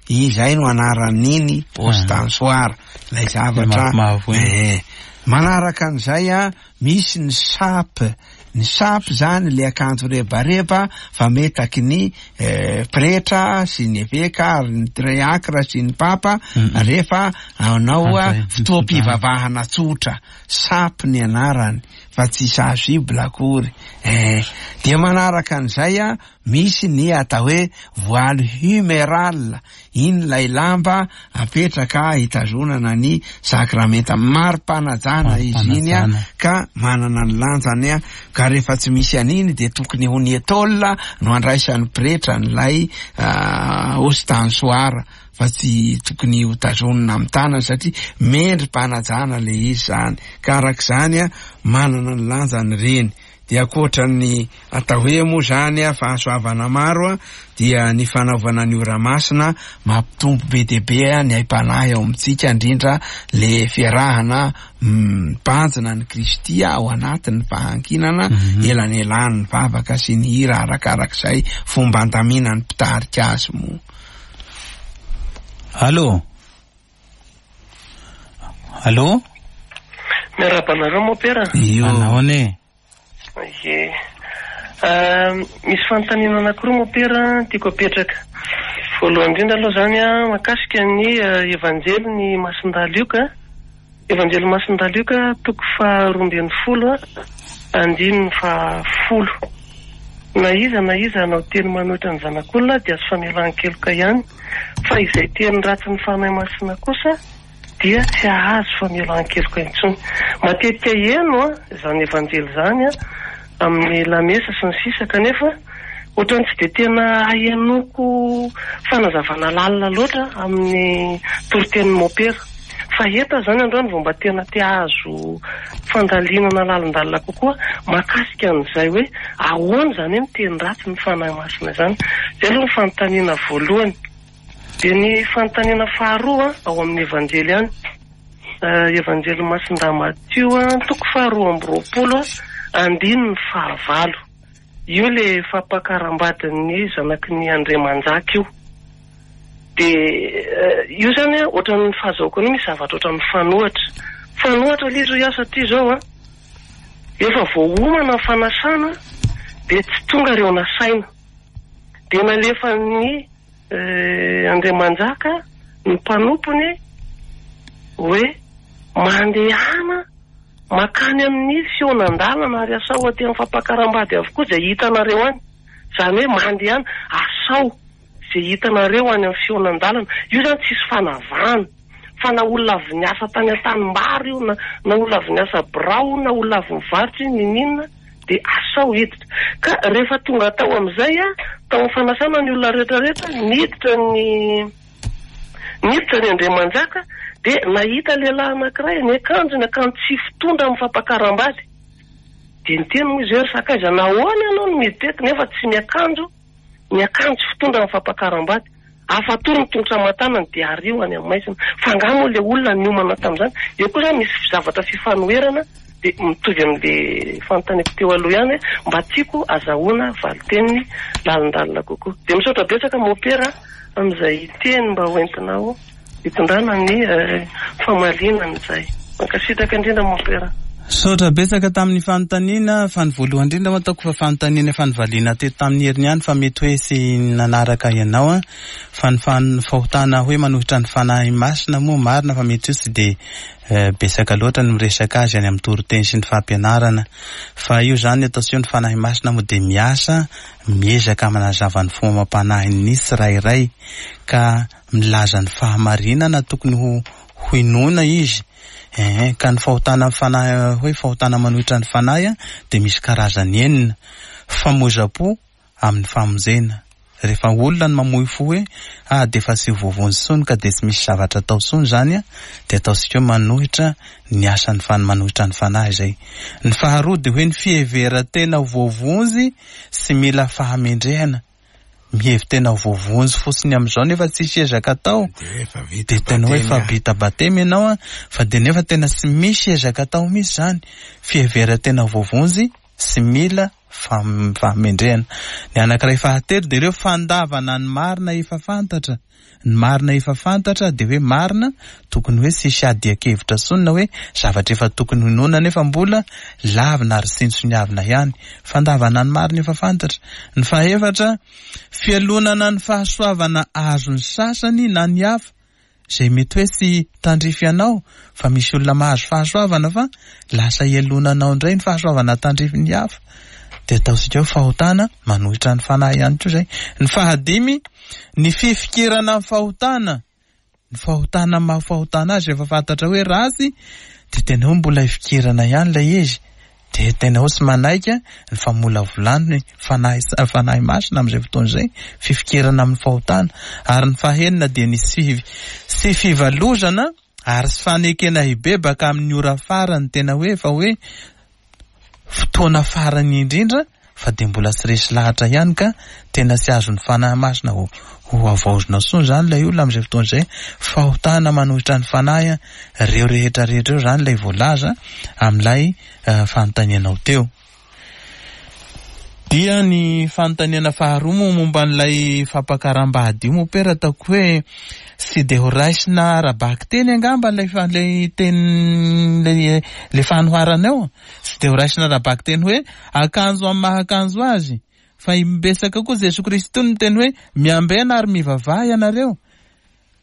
Izay no anaran'iny ostensoir, ilay zavatra. Mavomavo iny. Eh, manaraka an'izay a, misy ny sape. Ny sape zany le akanjo rebareba fametaky ny eh, pretra sy ny eveka ary ny triakra sy ny papa Mm. rehefa anao a Andray, fotoam-pivavahana tsotra. Sape ny anarany fa tsy chasuble akory. Eh, dia manaraka an'izay a, misy ny atao hoe voile huméral. Iny ilay lamba apetraka hitazonana ny sakramenta. Mari-panajana izy iny a, Mari-panajana. ka manana ny lanjany a, ka rehefa tsy misy an'iny de tokony ho ny étole no andraisan'ny pretra n'ilay ah, ostensoir fa tsy tokony ho tazonina amin'ny tanana satria mendri-panajana le izy zany. Ka arak'izany a, manana ny lanjany ireny. De ankoatra ny atao hoe moa zany a, fahasoavana maro a, dia ny fanaovana ny ora masina mampitombo be dia be a, ny aim-panahy ao amintsika, indrindra le fiarahana mibanjina ny Kristy ao anatin'ny fahanginana, Mhm. elanelan'ny vavaka sy ny hira arakarak'izay fomba andaminan'ny mpitarika azy moa. Allô? Allô? Miarahaba anareo mopera. Io. Anahoana e? Ie. Ah, misy fanontaniana anankiroa mopera tiako apetraka. Voalohany indrindra aloha zany a, mahakasika ny eh, evanjely ny Masindahy Lioka. Evanjely Masindahy Lioka toko faharoa ambin'ny folo a, andininy fahafolo. Na iza na iza hanao teny manohitra ny zanak'olona dia azo famelan-keloka ihany, fa izay teny ratsy ny Fanahy Masina kosa dia tsy hahazo famelan-keloka intsony. Matetika heno a, izany evanjely izany a, amin'ny lamesa sy ny sisa, kanefa ohatrany tsy dia tena ahenoko fanazavana lalina loatra amin'ny toritenin'ny mopera. Fa eto aho zany androany vao mba tena te hahazo fandalinana lalindalina kokoa mahakasika an'izay hoe ahoana izany hoe miteny ratsy ny Fanahy Masina izany. Izay aloha ny fanontaniana voalohany. Dia ny fanontaniana faharoa ao amin'ny evanjely ihany. Eh, Evanjely Masindahy Matio a, toko faharoa amby roapolo a, andininy fahavalo. Io le fampakaram-badin'ny zanaky ny Andriamanjaka io. De, eh, io zany a, ohatran'ny fahazahoako an'io misy zavatra ohatran'ny fanohatra. Fanohatra ilay izy hoy aho satria izao a, efa voaomana ny fanasana de tsy tonga ireo nasaina. De nalefan'ny, eh, Andriamanjaka ny mpanompony hoe mandehana makany amin'ny fihaonan-dalana ary asao aty amin'ny fampakaram-bady avokoa izay hitanareo any. Izany hoe mandehana asao izay hitanareo any amin'ny fihaonan-dalana. Io zany tsisy fanavahana Fa na olona avy niasa tany an-tanimbary io, na, na olona avy niasa birao, na olona avy nivarotra io, n'inon'inona, dia asao hiditra. Ka rehefa tonga tao amin'izay a, tao amin'ny fanasana ny olona rehetrarehetra, niditra ny niditra ny Andriamanjaka, dia nahita lehilahy anankiray ny akanjo, ny akanjo tsy fitondra amin'ny fampakaram-bady. Dia niteny moa izy hoe, ry sakaiza, nahoana ianao no miditra eto nefa tsy miakanjo ny akanjo fitondra amin'ny fampakaram-bady? Afatory ny tongotra aman-tanany dia ario any amin'ny maizina. Fa angaha moa ilay olona niomana tamin'izany? Eo koa izany misy zavatra fifanoherana, dia mitovy amin'ilay fanontaniako teo aloha ihany hoe mba tiako azahoana valin-teny lalindalina kokoa. Dia misaotra betsaka mopera amin'izay teny mba hoentinao hitondrana ny famaliana an'izay. Mankasitraka indrindra mopera. Misaotra betsaka tamin'ny fanontaniana, fa ny voalohany indrindra moa ataoko fa fanontaniana efa novaliana teto tamin'ny heriny ihany, fa mety hoe tsy nanaraka ianao a. Fa ny fan-, fahotana hoe manohitra ny Fanahy Masina moa marina fa mety hoe tsy dia betsaka loatra ny miresaka azy any amin'ny toriteny sy ny fampianarana. Fa io zany ataontsika hoe ny Fanahy Masina moa dia miasa, miezaka manazava ny fomba amam-panahin'ny tsirairay, ka milaza ny fahamarinana tokony ho hinoana izy. Eh, ka ny fahotana amin'ny fanahy, hoe fahotana manohitra ny fanahy a, dia misy karazany enina. Famoizam-po amin'ny famonjena. Rehefa olona no mamoy fo hoe, ah, dia efa tsy voavonjy intsony ka dia tsy misy zavatra atao intsony zany a, dia ataontsika hoe manohitra ny asan'ny fan-, manohitra ny fanahy izay. Ny faharoa dia hoe ny fiheveran-tena ho voavonjy sy mila fahamendrehana. Mihevi-tena ho voavonjy fotsiny amin'izao nefa tsisy ezaka atao. Dia tena hoe efa vita batemy ianao a, fa dia nefa tena tsy misy ezaka atao mihitsy zany. Fiheveran-tena ho voavonjy sy mila fam-, fahamendrehana. Ny anankiray fahatelo dia ireo fandavana ny marina efa fantatra. Ny marina efa fantatra dia hoe marina, tokony hoe tsisy adian-kevitra intsony na hoe zavatra efa tokony hinoana nefa mbola lavina ary tsinontsiniavina ihany. Fandavana ny marina efa fantatra. Ny fahaefatra, fialonana ny fahasoavana azon'ny sasany na ny hafa, izay mety hoe tsy tandrify anao, fa misy olona mahazo fahasoavana fa lasa ialonanao indray ny fahasoavana tandrify ny hafa. Dia ataontsika hoe fahotana manohitra ny fanahy ihany koa izay. Ny fahadimy, ny fifikirana amin'ny fahotana. Ny fahotana maha fahotana azy efa fantatra hoe ratsy, dia tena hoe mbola ifikirana ihany ilay izy. Dia tena hoe tsy manaika ny famolavolana ny fanahy, fanahy masina amin'izay fotoana izay, fifikirana amin'ny fahotana. Ary ny fahenina dia ny sy, sy fivalozana ary sy fanekena hibebaka amin'ny ora farany, tena hoe efa hoe fotoana farany indrindra, fa dia mbola tsy resy lahatra ihany ka tena tsy azon'ny fanahy masina ho, ho havaozina intsony zany ilay olona amin'izay fotoana izay. Fahotana manohitra ny fanahy, ireo rehetra rehetra ireo zany ilay voalaza amin'ilay, eh, fanontanianao teo. Dia ny fanontaniana faharoa moa momba an'ilay fampakaram-bady io moa pera, ataoko hoe tsy dia ho raisina ara-bakiteny angamba ilay fa-, ilay teny, ilay, ilay fanoharana eo. Tsy dia ho raisina ara-bakiteny hoe akanjo amin'ny maha akanjo azy, fa imbetsaka koa Jesoa Kristy no niteny hoe miambena ary mivavaha ianareo.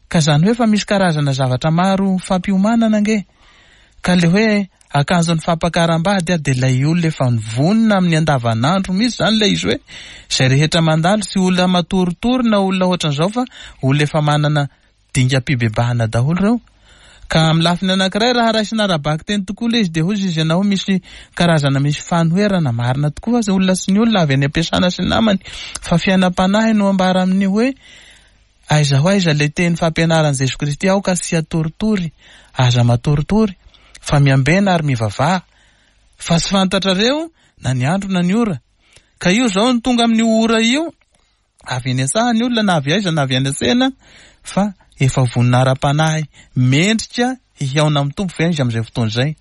Ka zany hoe fa misy karazana zavatra maro fampiomanana ange. Ka le hoe akanjon'ny fampakaram-bady a, dia ilay olona efa nivonona amin'ny andavanandro mihitsy zany ilay izy hoe izay rehetra mandalo, tsy olona matoritory na olona ohatran'izao fa olona efa manana dingam-pibebahana daholo ireo. Ka amin'ny lafiny anankiray raha raisina ara-bakiteny tokoa ilay izy dia hoy izy ianao misy karazana misy fanoherana marina tokoa fa olona sy ny olona avy any am-piasana sy ny namany, fa fiainam-panahy no ambara amin'ny hoe aiza ho aiza ilay teny fampianaran'i Jesoa Kristy, aoka tsy hatoritory, aza matoritory, fa miambena ary mivavaha, fa tsy fantatrareo na ny andro na ny ora. Ka io zao no tonga amin'io ora io, avy eny an-tsaha ny olona na avy aiza na avy any an-tsena, fa efa vonona ara-panahy mendrika hihaona amin'ny Tompo ve izy amin'izay fotoana izay?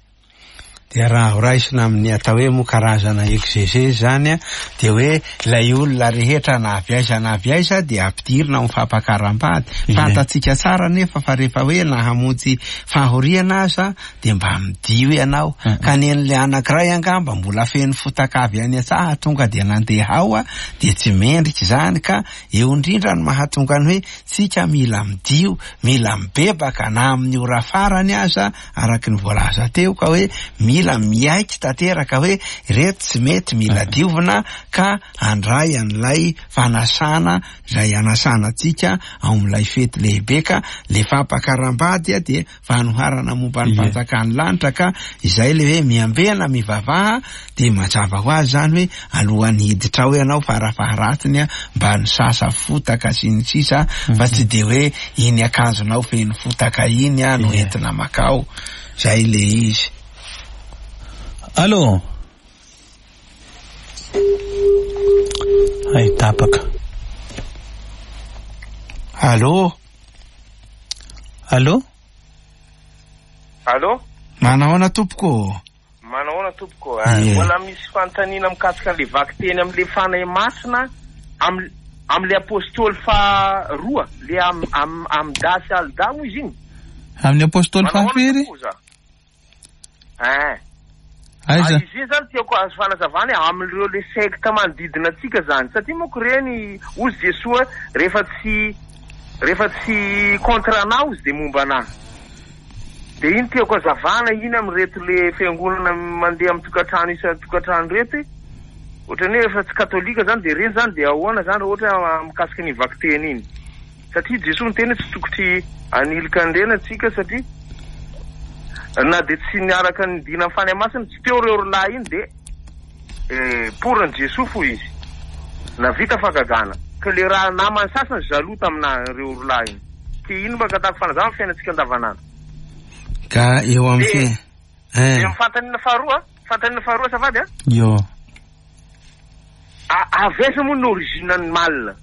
Dia raha ho raisina amin'ny atao hoe moa karazana exégèse zany a, dia hoe ilay olona rehetra na avy aiza na avy aiza dia ampidirina amin'ny fampakaram-bady. Ie. Fantatsika tsara nefa fa rehefa hoe nahamonjy fahoriana aza dia mba midio ianao. Mm. Ka ny an'ilay anankiray angamba mbola feno fotaka avy any an-tsaha tonga dia nandeha ao a, dia tsy mendrika izany. Ka eo indrindra no mahatonga ny hoe tsika mila midio, mila mibebaka na amin'ny ora farany aza, araka ny voalaza teo, ka hoe mila mila miaiky tanteraka hoe ireto tsy mety, mila diovina, ka handray an'ilay fanasana izay anasana antsika ao amin'ilay fety lehibe. Ka le fampakaram-bady a dia fanoharana momba ny fanjakan'ny lanitra, ka izay le hoe miambena mivavaha, dia mazava ho azy zany hoe alohan'ny hiditra ao ianao farafaharatsiny a mba nisasa fotaka sy ny sisa, fa tsy de hoe iny akanjonao feno fotaka iny a no entina makao. Zay le izy. Allô? Ay, tapaka. Allô? Allô? Allô? Manahoana tompoko? Manahoana tompoko? Mbola misy fanontaniana mikasika an'le vakiteny amin'le Fanahy Masina am amin'le apôstôly faharoa, le am am Amda sy Alda moa izy iny? Amin'ny apôstôly fahafiry? Eh. Aiza? Izy iny zany tiako azo fanazavana amin'ireo le sekta manodidina antsika zany, satria manko reny ozy Jesoa rehefa tsy rehefa tsy contre anao izy de momba anahy. De iny tiako azavana iny amin'ireto le fiangonana mandeha amin'ny tokantrano isan-tokantrano reto. Ohatran'ny hoe efa tsy katolika zany de reny zany de ahoana zany raha ohatra mikasika ny vakiteny iny? Satria Jesoa niteny hoe tsy tokotry anilika an'ireny antsika, satria na de tsy niaraka nidina amin'ny Fanahy Masina tsy teo ireo rolahy iny, de poran'i Jesoa fo izy navita fahagagana, ka le raha namany sasany jaloux tamin'ireo rolahy iny. Ke ino mba katako fanazava amin'ny fiainantsika andavanandro? Ka eo amin'ny fi- De amin'ny fanontaniana faharoa, fanontaniana faharoa azafady a? Yo. Avy aiza moa ny origine ny mal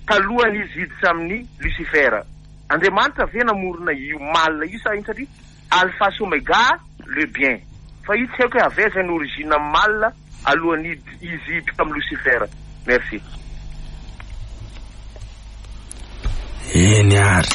talohan'izy hiditra amin'ny Lucifer? Andriamanitra ve namorona io mal io sa ino? Satria alpha sy omega le bien, fa io tsy haiko hoe avy aiza ny origine mal alohan'ny izy hiditra amin'ny Lucifer. Merci. Eny ary.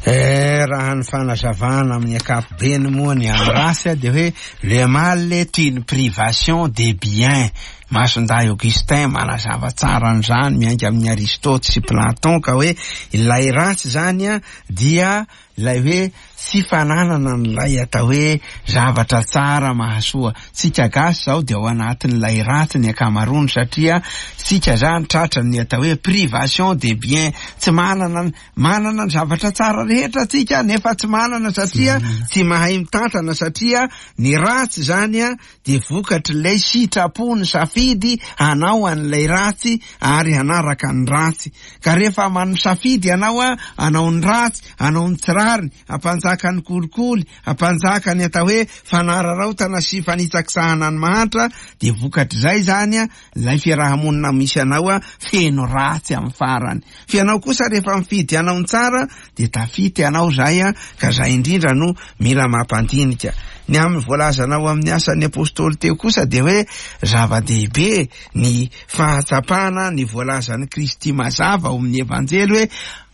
Eh, raha ny fanazavana amin'ny ankapobeny moa ny amin'ny ratsy dia hoe le mal est une privation des biens. Masindahy Augustin manazava tsara an'izany miainga amin'ny Aristote sy Platon, ka hoe ilay ratsy zany a dia ilay hoe tsy fananana an'ilay atao hoe zavatra tsara mahasoa. Tsika gasy zao dia ao anatin'ilay ratsy ny ankamaroany, satria tsika zany tratra ny atao hoe privation des biens. Tsy manana, manana ny zavatra tsara rehetra tsika nefa tsy manana, satria tsy mahay mitantana, satria ny ratsy zany a dia vokatr'ilay sitrapo ny safidy hanao an'ilay ratsy ary hanaraka ny ratsy. Ka rehefa manosafidy ianao a hanao ny ratsy, hanao ny tsy rariny, hampanjaka ny kolikoly, hampanjaka ny atao hoe fanararaotana sy fanitsakisahana ny mahantra, dia vokatr'izay zany a ilay fiarahamonina misy anao a feno ratsy amin'ny farany. Fa ianao kosa rehefa mifidy hanao ny tsara dia tafita ianao zay a, ka zay indrindra no mila mampandinika. Ny amin'ny voalazanao amin'ny asan'ny apôstôly teo kosa dia hoe zava-dehibe ny fahatsapana ny voalazan'i Kristy mazava ao amin'ny Evanjely hoe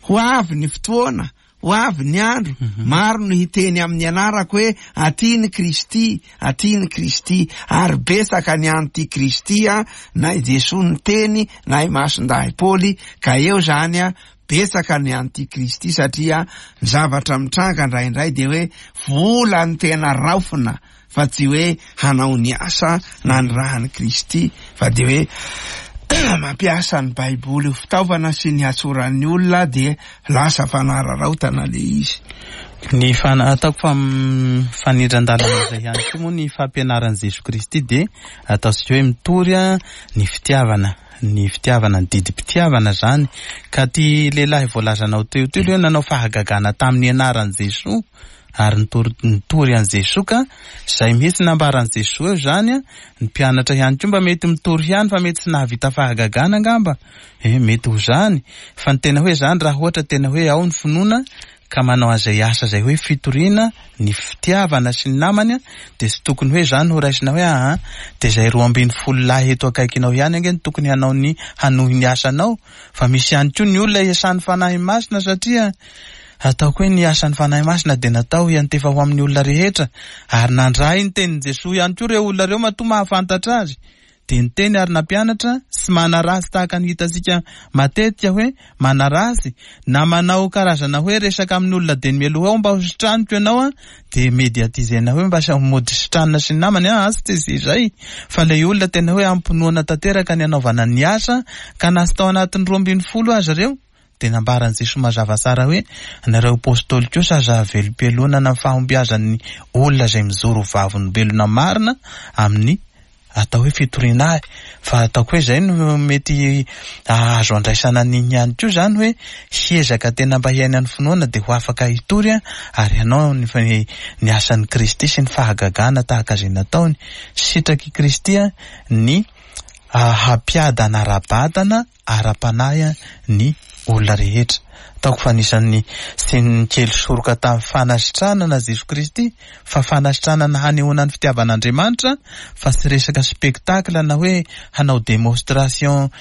ho avy ny fotoana, ho avy ny andro, maro no hiteny amin'ny anarako hoe aty ny Kristy, aty ny Kristy, ary betsaka ny anti-Kristy a, na i Jesoa niteny na i Masindahy Paoly, ka eo zany a betsaka ny anti-Kristy, satria ny zavatra mitranga indraindray dia hoe vola ny tena raofina fa tsy hoe hanao ny asa na ny rahan'i Kristy, fa dia hoe mampiasa ny Baiboly ho fitaovana sy ny hatsoran'ny olona, dia lasa fanararaotana le izy. Ny fana-, ataoko fa mifanindran-dalana izay ihany koa moa ny fampianaran'i Jesoa Kristy dia ataontsika hoe mitory a ny fitiavana, ny fitiavana, ny didim-pitiavana zany. Ka ty lehilahy voalazanao teo teo hoe nanao fahagagana tamin'ny anaran'i Jesoa ary nitory, nitory an'i Jesoa, ka zay mihitsy nambaran'i Jesoa eo zany a, ny mpianatra ihany koa mba mety mitory ihany fa mety tsy nahavita fahagagana angamba. Eh, mety ho zany. Fa ny tena hoe zany raha ohatra tena hoe ao ny finoana ka manao an'izay asa izay hoe fitoriana ny fitiavana sy ny namany a, dia tsy tokony hoe zany ho raisina hoe aha, dia izay roa ambin'ny folo lahy eto akaikinao ihany ange no tokony hanao ny hanohy ny asanao, fa misy ihany koa ny olona iasan'ny Fanahy Masina, satria ataoko hoe ny asan'ny Fanahy Masina dia natao hiantefa ho amin'ny olona rehetra, ary nandray ny tenin'i Jesoa ihany koa ireo olona ireo matoa mahafantatra azy. Dia niteny ary nampianatra sy manaratsy tahaka ny hitantsika matetika hoe manaratsy na manao karazana hoe resaka amin'ny olona dia mialoha ao mba ho sitraniko ianao a, dia médiatisena hoe mba mody sitranina sy ny namany a, tsy tsy izay fa ilay olona tena hoe ampinoana tanteraka ny anaovana ny asa ka na tsy tao anatin'ny roa ambin'ny folo aza ireo dia nambaran'i Jesoa mazava tsara hoe nareo apôstôly kosa aza velom-pialonana amin'ny fahombiazan'ny olona izay mijoro vavolombelona marina amin'ny atao hoe fitoriana ahy. Fa ataoko hoe izay no mety azo andraisana an'iny ihany koa izany hoe hiezaka tena mba hiaina ny finoana dia ho afaka hitory ary hanao ny ny asan'i Kristy sy ny fahagagana tahaka izay nataony. Sitrak'i Kristy ny hampiadana ara-batana ara-panahy ny olona rehetra. Ataoko fa anisan'ny sy nikely soroka tamin'ny fanasitranana Jesoa Kristy, fa fanasitranana hanehoana ny fitiavan'Andriamanitra fa tsy resaka spectacle na hoe hanao démonstration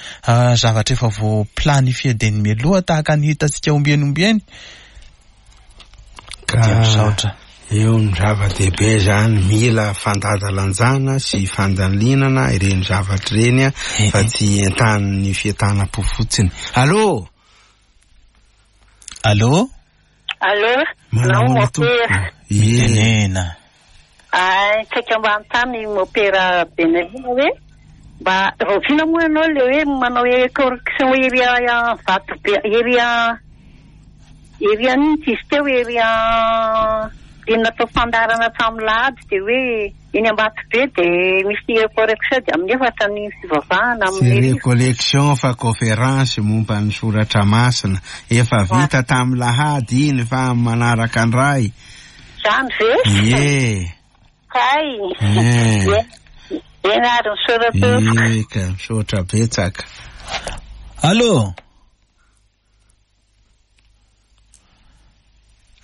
zavatra efa voa planifié dia ny mialoha tahaka ny hitantsika ombieny ombieny. Ka Dia misaotra. Eo ny zava-dehibe zany, mila fandanjalanjana sy fandalinana ireny zavatra ireny a, fa tsy entanin'ny fientanam-po fotsiny. Allô? Allô? Allô? Manahoana tompoko? Ie. Mitenena. Ay, tsaika mba hanontany mopera Benelina hoe mba rahoviana moa ianao le hoe manao correction ery vato be ery ery an'iny tsy izy teo ery le natao fandaharana hatramin'ny lahady dia hoe eny Ambatobe dia misy correction dia amin'ny efatra ny fivavahana Tsy amin'ny recollection fa conférence momba ny soratra masina. Efa vita tamin'ny lahady iny fa manaraka andray. Zany ve? Ie. Kay. Eh. Eny ary misaotra tompoko. Ie, ka misaotra betsaka. Allô?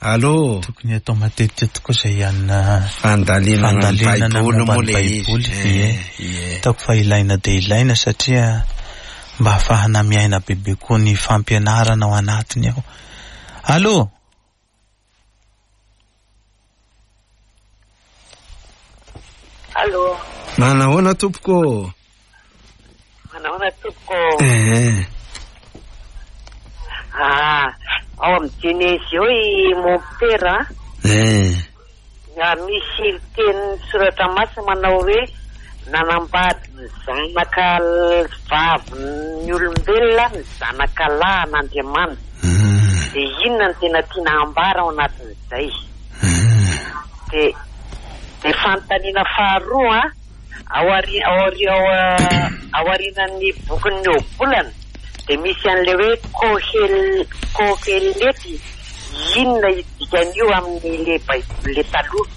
Allô? Tokony atao matetika tokoa izay hanina Fandalinana ny fandalinana Baiboly momba moa ny le izy. Baiboly. Eh, Ie. ie. Ataoko fa ilaina dia ilaina satria mba ahafahana miaina bebe koa ny fampianarana ao anatiny ao. Allô? Allô? Manahoana tompoko? Manahoana tompoko? Eh. Ah, ao amin'ny Genezy eo i Mompera. Eh. Ah, misy teny soratra masina manao hoe nanambady ny zanaka vavin'ny olombelona ny zanaka lahin'Andriamanitra. Dia inona no tena tiana ambara ao anatin'izay? Dia dia fanontaniana faharoa ao ari- ao ari- ao ao aorianan'ny bokin'ny Ohabolana dia misy an'ilay hoe Kohel- Kohelety. Inona dikan'io amin'ilay Baiboly le taloha?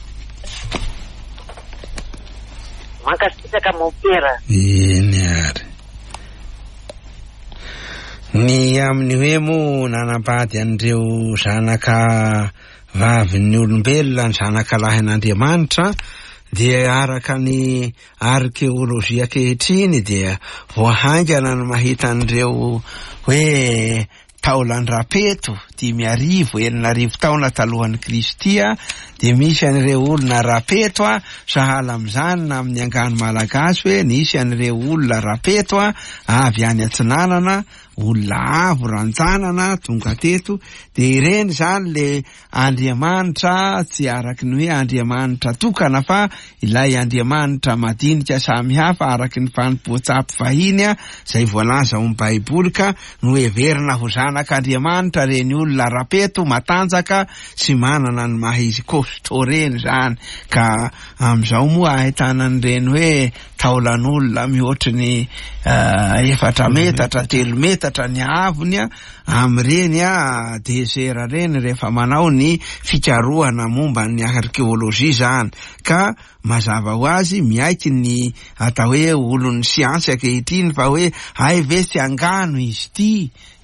Mankasitraka mompera. Eny ary. Ny amin'ny hoe moa nanambady an'ireo zanaka vavin'ny olombelona ny zanaka lahin'Andriamanitra dia araka ny arkeolojia ankehitriny dia voahaingana ny mahita an'ireo hoe taolan-drapeto dimy arivo enina arivo taona talohan'ny Kristy a, dia misy an'ireo olona rapeto a, sahala amin'izany na amin'ny angano malagasy hoe nisy an'ireo olona rapeto a, avy any atsinanana, olona avo ranjanana tonga teto, dia ireny zany le Andriamanitra tsy araky ny hoe Andriamanitra tokana fa ilay Andriamanitra madinika samihafa araky ny fanompoan-tsampy vahiny a, izay voalaza ao amin'ny Baiboly ka noheverina ho zanak'Andriamanitra reny olona rapeto matanjaka sy manana ny maha izy costaud reny zany. Ka amin'izao moa ahitana an'ireny hoe taolan'olona mihoatry ny efatra metatra, telo metatra ny haavony a, amin'ireny a désert reny rehefa manao ny fikarohana momba ny arkeolojia zany. Ka mazava ho azy miaiky ny atao hoe olon'ny siansa ankehitriny fa hoe ay ve tsy angano izy ity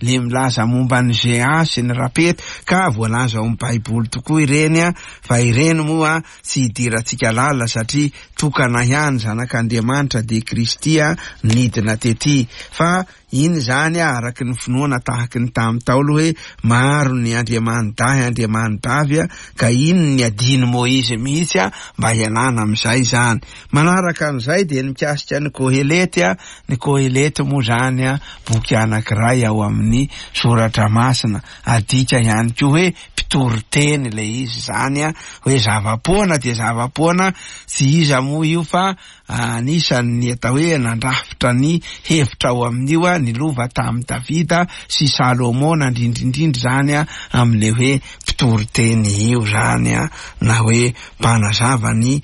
le milaza momba ny géant sy ny rapeto, ka voalaza ao amin'ny Baiboly tokoa ireny a, fa ireny moa tsy hidirantsika lalina satria tokana ihany zanak'Andriamanitra dia Kristy a nidina tety. Fa Iny zany araky ny finoana tahaky ny tamin'ny Ntaolo hoe maro ny andriamani-dahy andriamani-bavy a, ka iny ny adiny Moizy mihitsy a mba hialana amin'izay zany. Manaraka an'izay dia ny mikasika ny Kohelety a, ny Kohelety moa zany a boky anankiray ao amin'ny soratra masina, adika ihany koa hoe mpitoriteny ilay izy zany a, hoe zava-poana dia zava-poana, tsy iza moa io fa anisan'ny atao hoe nandrafitra ny hevitra ao amin'io a, ny lova tamin'i Davida sy Salomona indrindrindrindra zany a, amin'ilay hoe mpitoriteny io zany a, na hoe mpanazava ny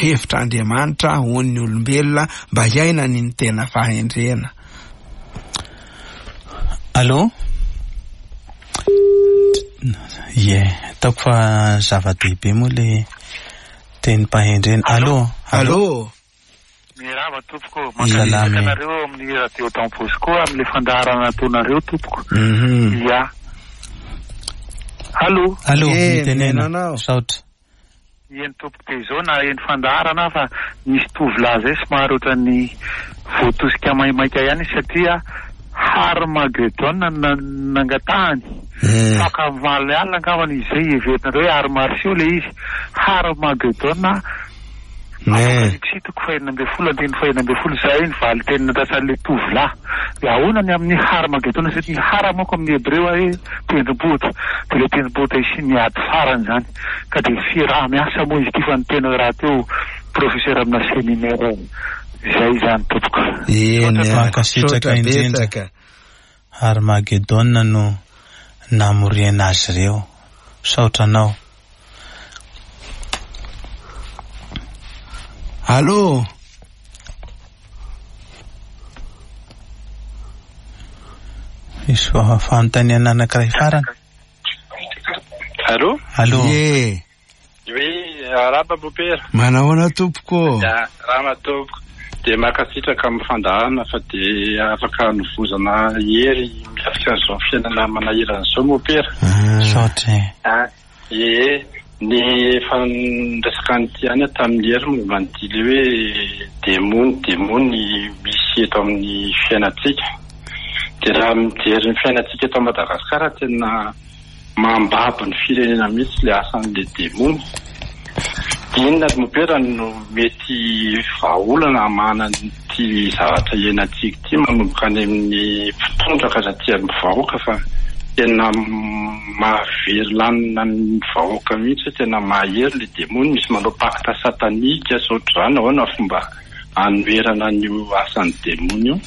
hevitra Andriamanitra ho an'ny olombelona mba hiainany ny tena fahendrena. Allô? Ie, ataoko fa zava-dehibe moa le tenim-pahendrena. Allô? Allô? Mirava tompoko, mankasitraka anareo amin'ny radio Don Bosco amin'ilay fandaharana ataonareo tompoko. Ia. Allô? Allô, mitenena. Saotra. Eny tompoko, dia izao na eny fandaharana fa nisy tovolahy zay somary ohatran'ny voatosika maimaika ihany satria Harmagedon nangatahany. Faka omaly alina angambany izy zay heverinareo hoe art martiaux ilay izy. Harmagedon Apokalypsy toko fahenina ambin'ny folo andininy fahenina ambin'ny folo izay ny valin-teny nandrasan'ilay tovolahy. Dia ahoana ny amin'ny Harmagedon satria ny hara manko amin'ny hebreo hoe tendrombohitra, dia ilay tendrombohitra isian'ny ady farany izany. Ka dia fiaraha-miasa moa izy ity fa ny tena rahateo professeur amina séminaire izay izany tompoko. Eny, mankasitraka indrindra. Harmagedon no namoriana azy ireo. Saotra anao. Allô? Misy fanontaniana anankiray farany. Allô? Allô? Ie. Oui, arahaba mopera. Manahoana tompoko? Ya, rama tompoko. Dia mankasitraka amin'ny fandaharana fa dia afaka novozana hery mikasika an'izao fiainana manahirana izao mopera. Saotra. Ah, ie. Ny efa niresaka an'ity ihany tamin'ny hery momba an'ity ilay hoe demony demony misy eto amin'ny fiainantsika. Dia raha mijery ny fiainantsika eto Madagasikara tena mambabo ny firenena mihitsy ilay asan'ilay demony. Inona mopera no mety vahaolana hamahana an'ity zavatra iainantsika ity manomboka any amin'ny mpitondra ka hatraty amin'ny vahoaka fa tena mahavery lanina ny vahoaka mihitsy, tena mahery ilay demony, misy manao pacte satanika sy ohatr'izany. Ahoana fomba anoherana an'io asan'ny demony io?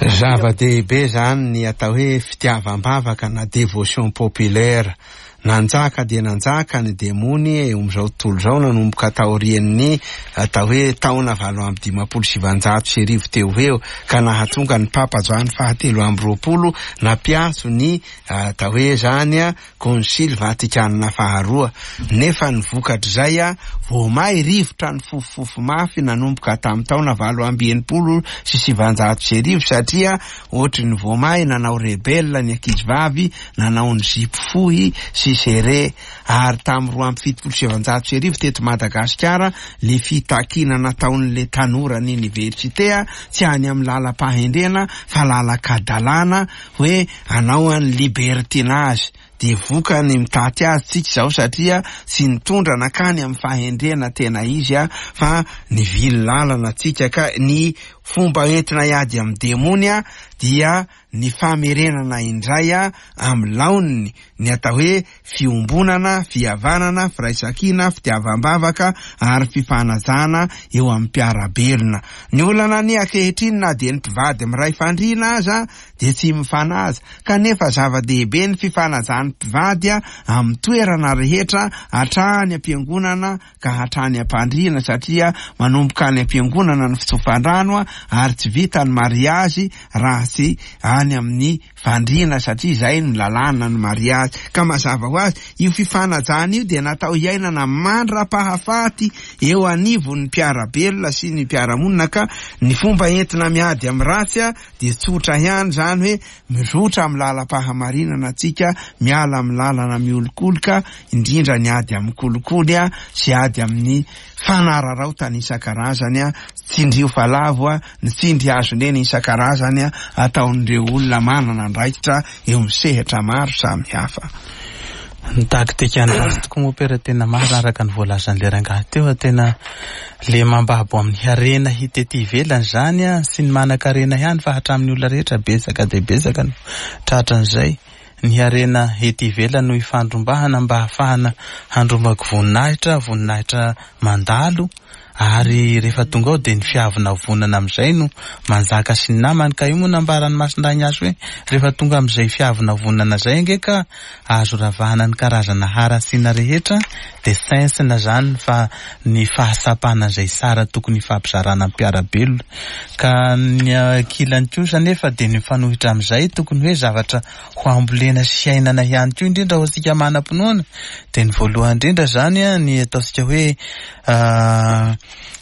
Zava-dehibe zany ny atao hoe fitiavam-bavaka na dévotion populaire. Nanjaka dia nanjaka ny demony eo amin'izao tontolo izao nanomboka taorian'ny atao hoe taona valo amby dimampolo sivanjato sy arivo teo ho eo, ka nahatonga ny Papa Joany fahatelo amby roapolo nampiantso ny atao hoe zany a Konsily Vatikanina faharoa. Nefa ny vokatr'izay a vao may rivotra ny fofofofo mafy nanomboka tamin'ny taona valo amby enimpolo sy sivanjato sy arivo, satria ohatry ny vao may nanao rebelle ny ankizivavy, nanao ny zipo fohy sy serre. Ary tamin'ny roa amby fitopolo sy sivanjato sy arivo teto Madagasikara le fitakiana nataon'le tanora ny université a tsy any amin'ny lalam-pahendrena fa lalan-kadalana hoe anao any libertinage. Dia vokany mitaty azy tsika izao satria tsy nitondra nankany amin'ny fahendrena tena izy a fa nivily lalana tsika. Ka ny fomba entina hiady amin'ny demony a dia ny famerenana indray a amin'ny laoniny ny atao hoe fiombonana, fihavanana, firaisankina, fitiavam-bavaka ary fifanajana eo amin'ny mpiara-belona. Ny olana ny ankehitriny na dia ny mpivady miray fandriana aza dia tsy mifanaja, kanefa zava-dehibe ny fifanajan'ny mpivady a amin'ny toerana rehetra, hatrany am-piangonana ka hatrany am-pandriana, satria manomboka any am-piangonana ny fitsofandrano a ary tsy vita ny mariazy raha tsy any amin'ny fandriana, satria izay ny lalàna ny mariazy. Ka mazava ho azy io fifanajana fanajana io dia natao hiainana mandra-pahafaty eo anivon'ny mpiara-belona sy ny mpiara-monina, ka ny fomba entina miady amin'ny ratsy a dia tsotra ihany zany hoe mizotra amin'ny lalam-pahamarinana antsika, miala amin'ny lalana miolokoloka, indrindra ny ady amin'ny kolikoly a sy ady amin'ny fanararaotana isan-karazany a, tsindrio fa lavo a, ny tsindry hazonena isan-karazany a ataon'ireo olona manana andraikitra eo amin'ny sehatra maro samihafa. Ny taktika ny ratsy tokoa mopera tena marina araka ny voalazan'ilay rangahy teo, tena le mambabo amin'ny harena hita ety ivelany zany a, sy ny manan-karena ihany fa hatramin'ny olona rehetra betsaka dia betsaka no tratran'izay. Ny harena ety ivelany no ifandrombahana mba hahafahana handrombaka voninahitra, voninahitra mandalo, ary rehefa tonga ao dia ny fiavonavonana amin'izay no manjaka sy ny namany. Ka io moa nambaran'ny Masindahy Ignace hoe rehefa tonga amin'izay fiavonavonana izay ange ka azo ravahana ny karazana haratsiana rehetra, dia sentsina zany fa ny fahasapana izay tsara tokony hifampizarana amin'ny mpiara-belona. Ka ny ankilany kosa nefa dia ny mifanohitra amin'izay tokony hoe zavatra ho ambolena sy iainana ihany koa, indrindra ho antsika manam-pinoana. Dia ny voalohany indrindra zany a, ny ataontsika hoe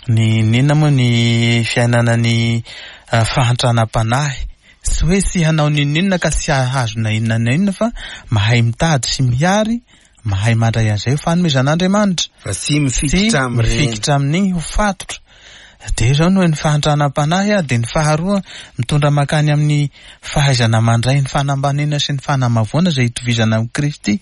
ny ninona moa ny fiainana ny fahantranam-panahy, tsy hoe tsy hanao n'inon'inona ka tsy hahazo na inona na inona, fa mahay mitady sy mihary, mahay mandray an'izay ho fanomezan'Andriamanitra, fa tsy mifikitra amin'ireny, mifikitra amin'iny ho fatotra. Dia izao no hoe ny fahantranam-panahy a, dia ny faharoa mitondra makany amin'ny fahaizana mandray ny fanambanina sy ny fanamavoana izay hitovizana amin'i Kristy,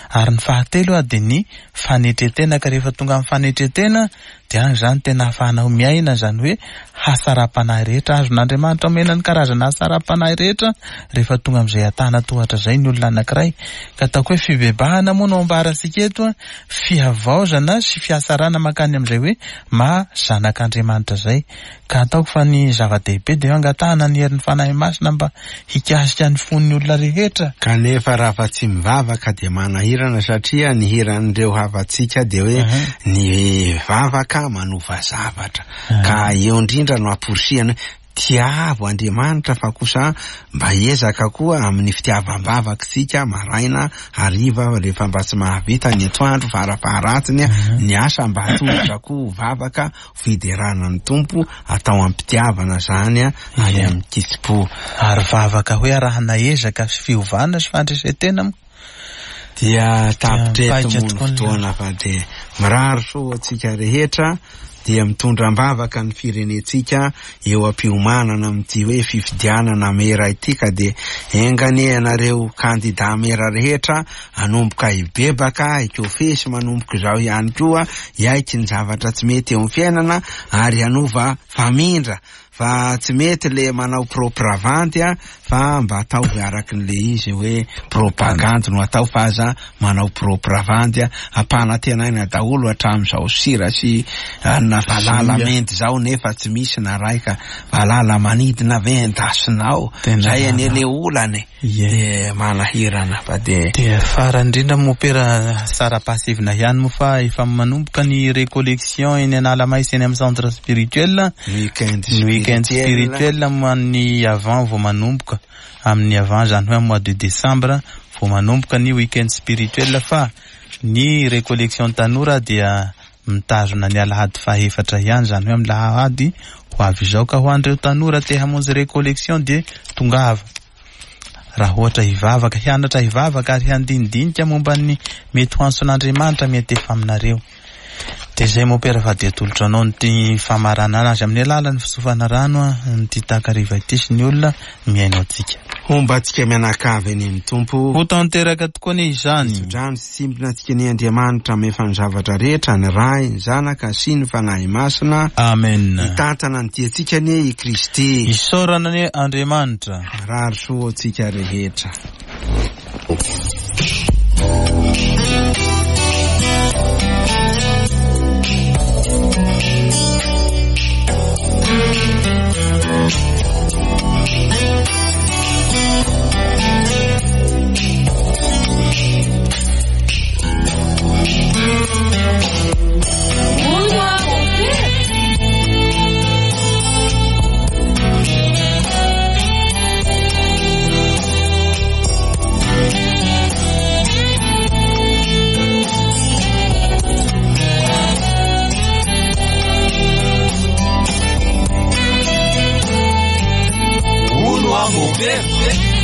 ary ny fahatelo a dia ny fanetretena. Ka rehefa tonga amin'ny fanetretena dia any izany tena ahafahanao miaina izany hoe hasaram-panahy rehetra azon'Andriamanitra omena ny karazana hasaram-panahy rehetra rehefa tonga amin'izay atana tohatra izay ny olona anankiray. Ka ataoko hoe fibebahana moa no ambarantsika eto a, fihavaozana sy fiasarana makany amin'izay hoe maha zanak'Andriamanitra izay. Ka ataoko fa ny zava-dehibe dia angatahana ny herin'ny Fanahy Masina mba hikasika ny fon'ny olona rehetra. Kanefa raha fa tsy mivavaka dia manahirana, satria ny hiran'ireo havantsika dia hoe ny vavaka manova zavatra. Ka eo indrindra no amporisihana hoe tiavo Andriamanitra, fa kosa mba ezaka koa amin'ny fitiavam-bavaka isika maraina hariva, rehefa mba tsy mahavita ny atoandro farafaharatsiny ny asa mba atolotra koa vavaka fiderana ny Tompo, atao am-pitiavana zany ary amin'ny kitsim-po. Ary vavaka hoe arahana ezaka sy fiovana sy fandresetena moa dia tapitra eto moa ny fotoana, fa dia mirary soa antsika rehetra, dia mitondra am-bavaka ny firenentsika eo am-piomanana amin'ity hoe fifidianana mera ity. Ka dia enga anie ianareo kandida mera rehetra hanomboka hibebaka, hikofesy manomboka izao ihany koa, hiaiky ny zavatra tsy mety eo amin'ny fiainana ary hanova famindra, fa tsy mety le manao propagandy a, fa mba ataovy araky ny le izy hoe propagandy no atao, fa aza manao propagandy a, ampanantenaina daholo hatramin'izao sira sy na valala mendy zao, nefa tsy misy na raika valala manidina ve endasinao, zay anie le olany de manahirana. Fa de dia farany indrindra mopera sara-pasivina ihany moa fa efa manomboka ny récollection eny Analamaisy eny amin'ny centre spirituel, weekend ny weekend spirituel ny avant vao manomboka amin'ny avant, zany hoe mois de décembre vao manomboka ny weekend spirituel. Fa ny récollection tanora dia mitazona ny alahady fahefatra ihany, zany hoe amin'ny lahady ho avy izao. Ka ho an'ireo tanora te hamonjy récollection dia tongava, raha ohatra hivavaka, hianatra hivavaka ary handinidinika momba ny mety ho antson'Andriamanitra mety efa aminareo. Dia izay mopera fa dia atolotra anao ny famaranana azy amin'ny alalan'ny fitsofana rano ny takariva ity sy ny olona mihaino antsika. Homba antsika mianakavy eny amin'ny Tompo. Ho tanteraka tokoa anie izany. Tsodrano sy tsimbina antsika ny Andriamanitra mahefa ny zavatra rehetra, ny Ray, ny Zanaka sy ny Fanahy Masina. Amen. Hitantana ny diantsika anie i Kristy. Isaorana anie Andriamanitra. Mirary soa antsika rehetra. Mopera.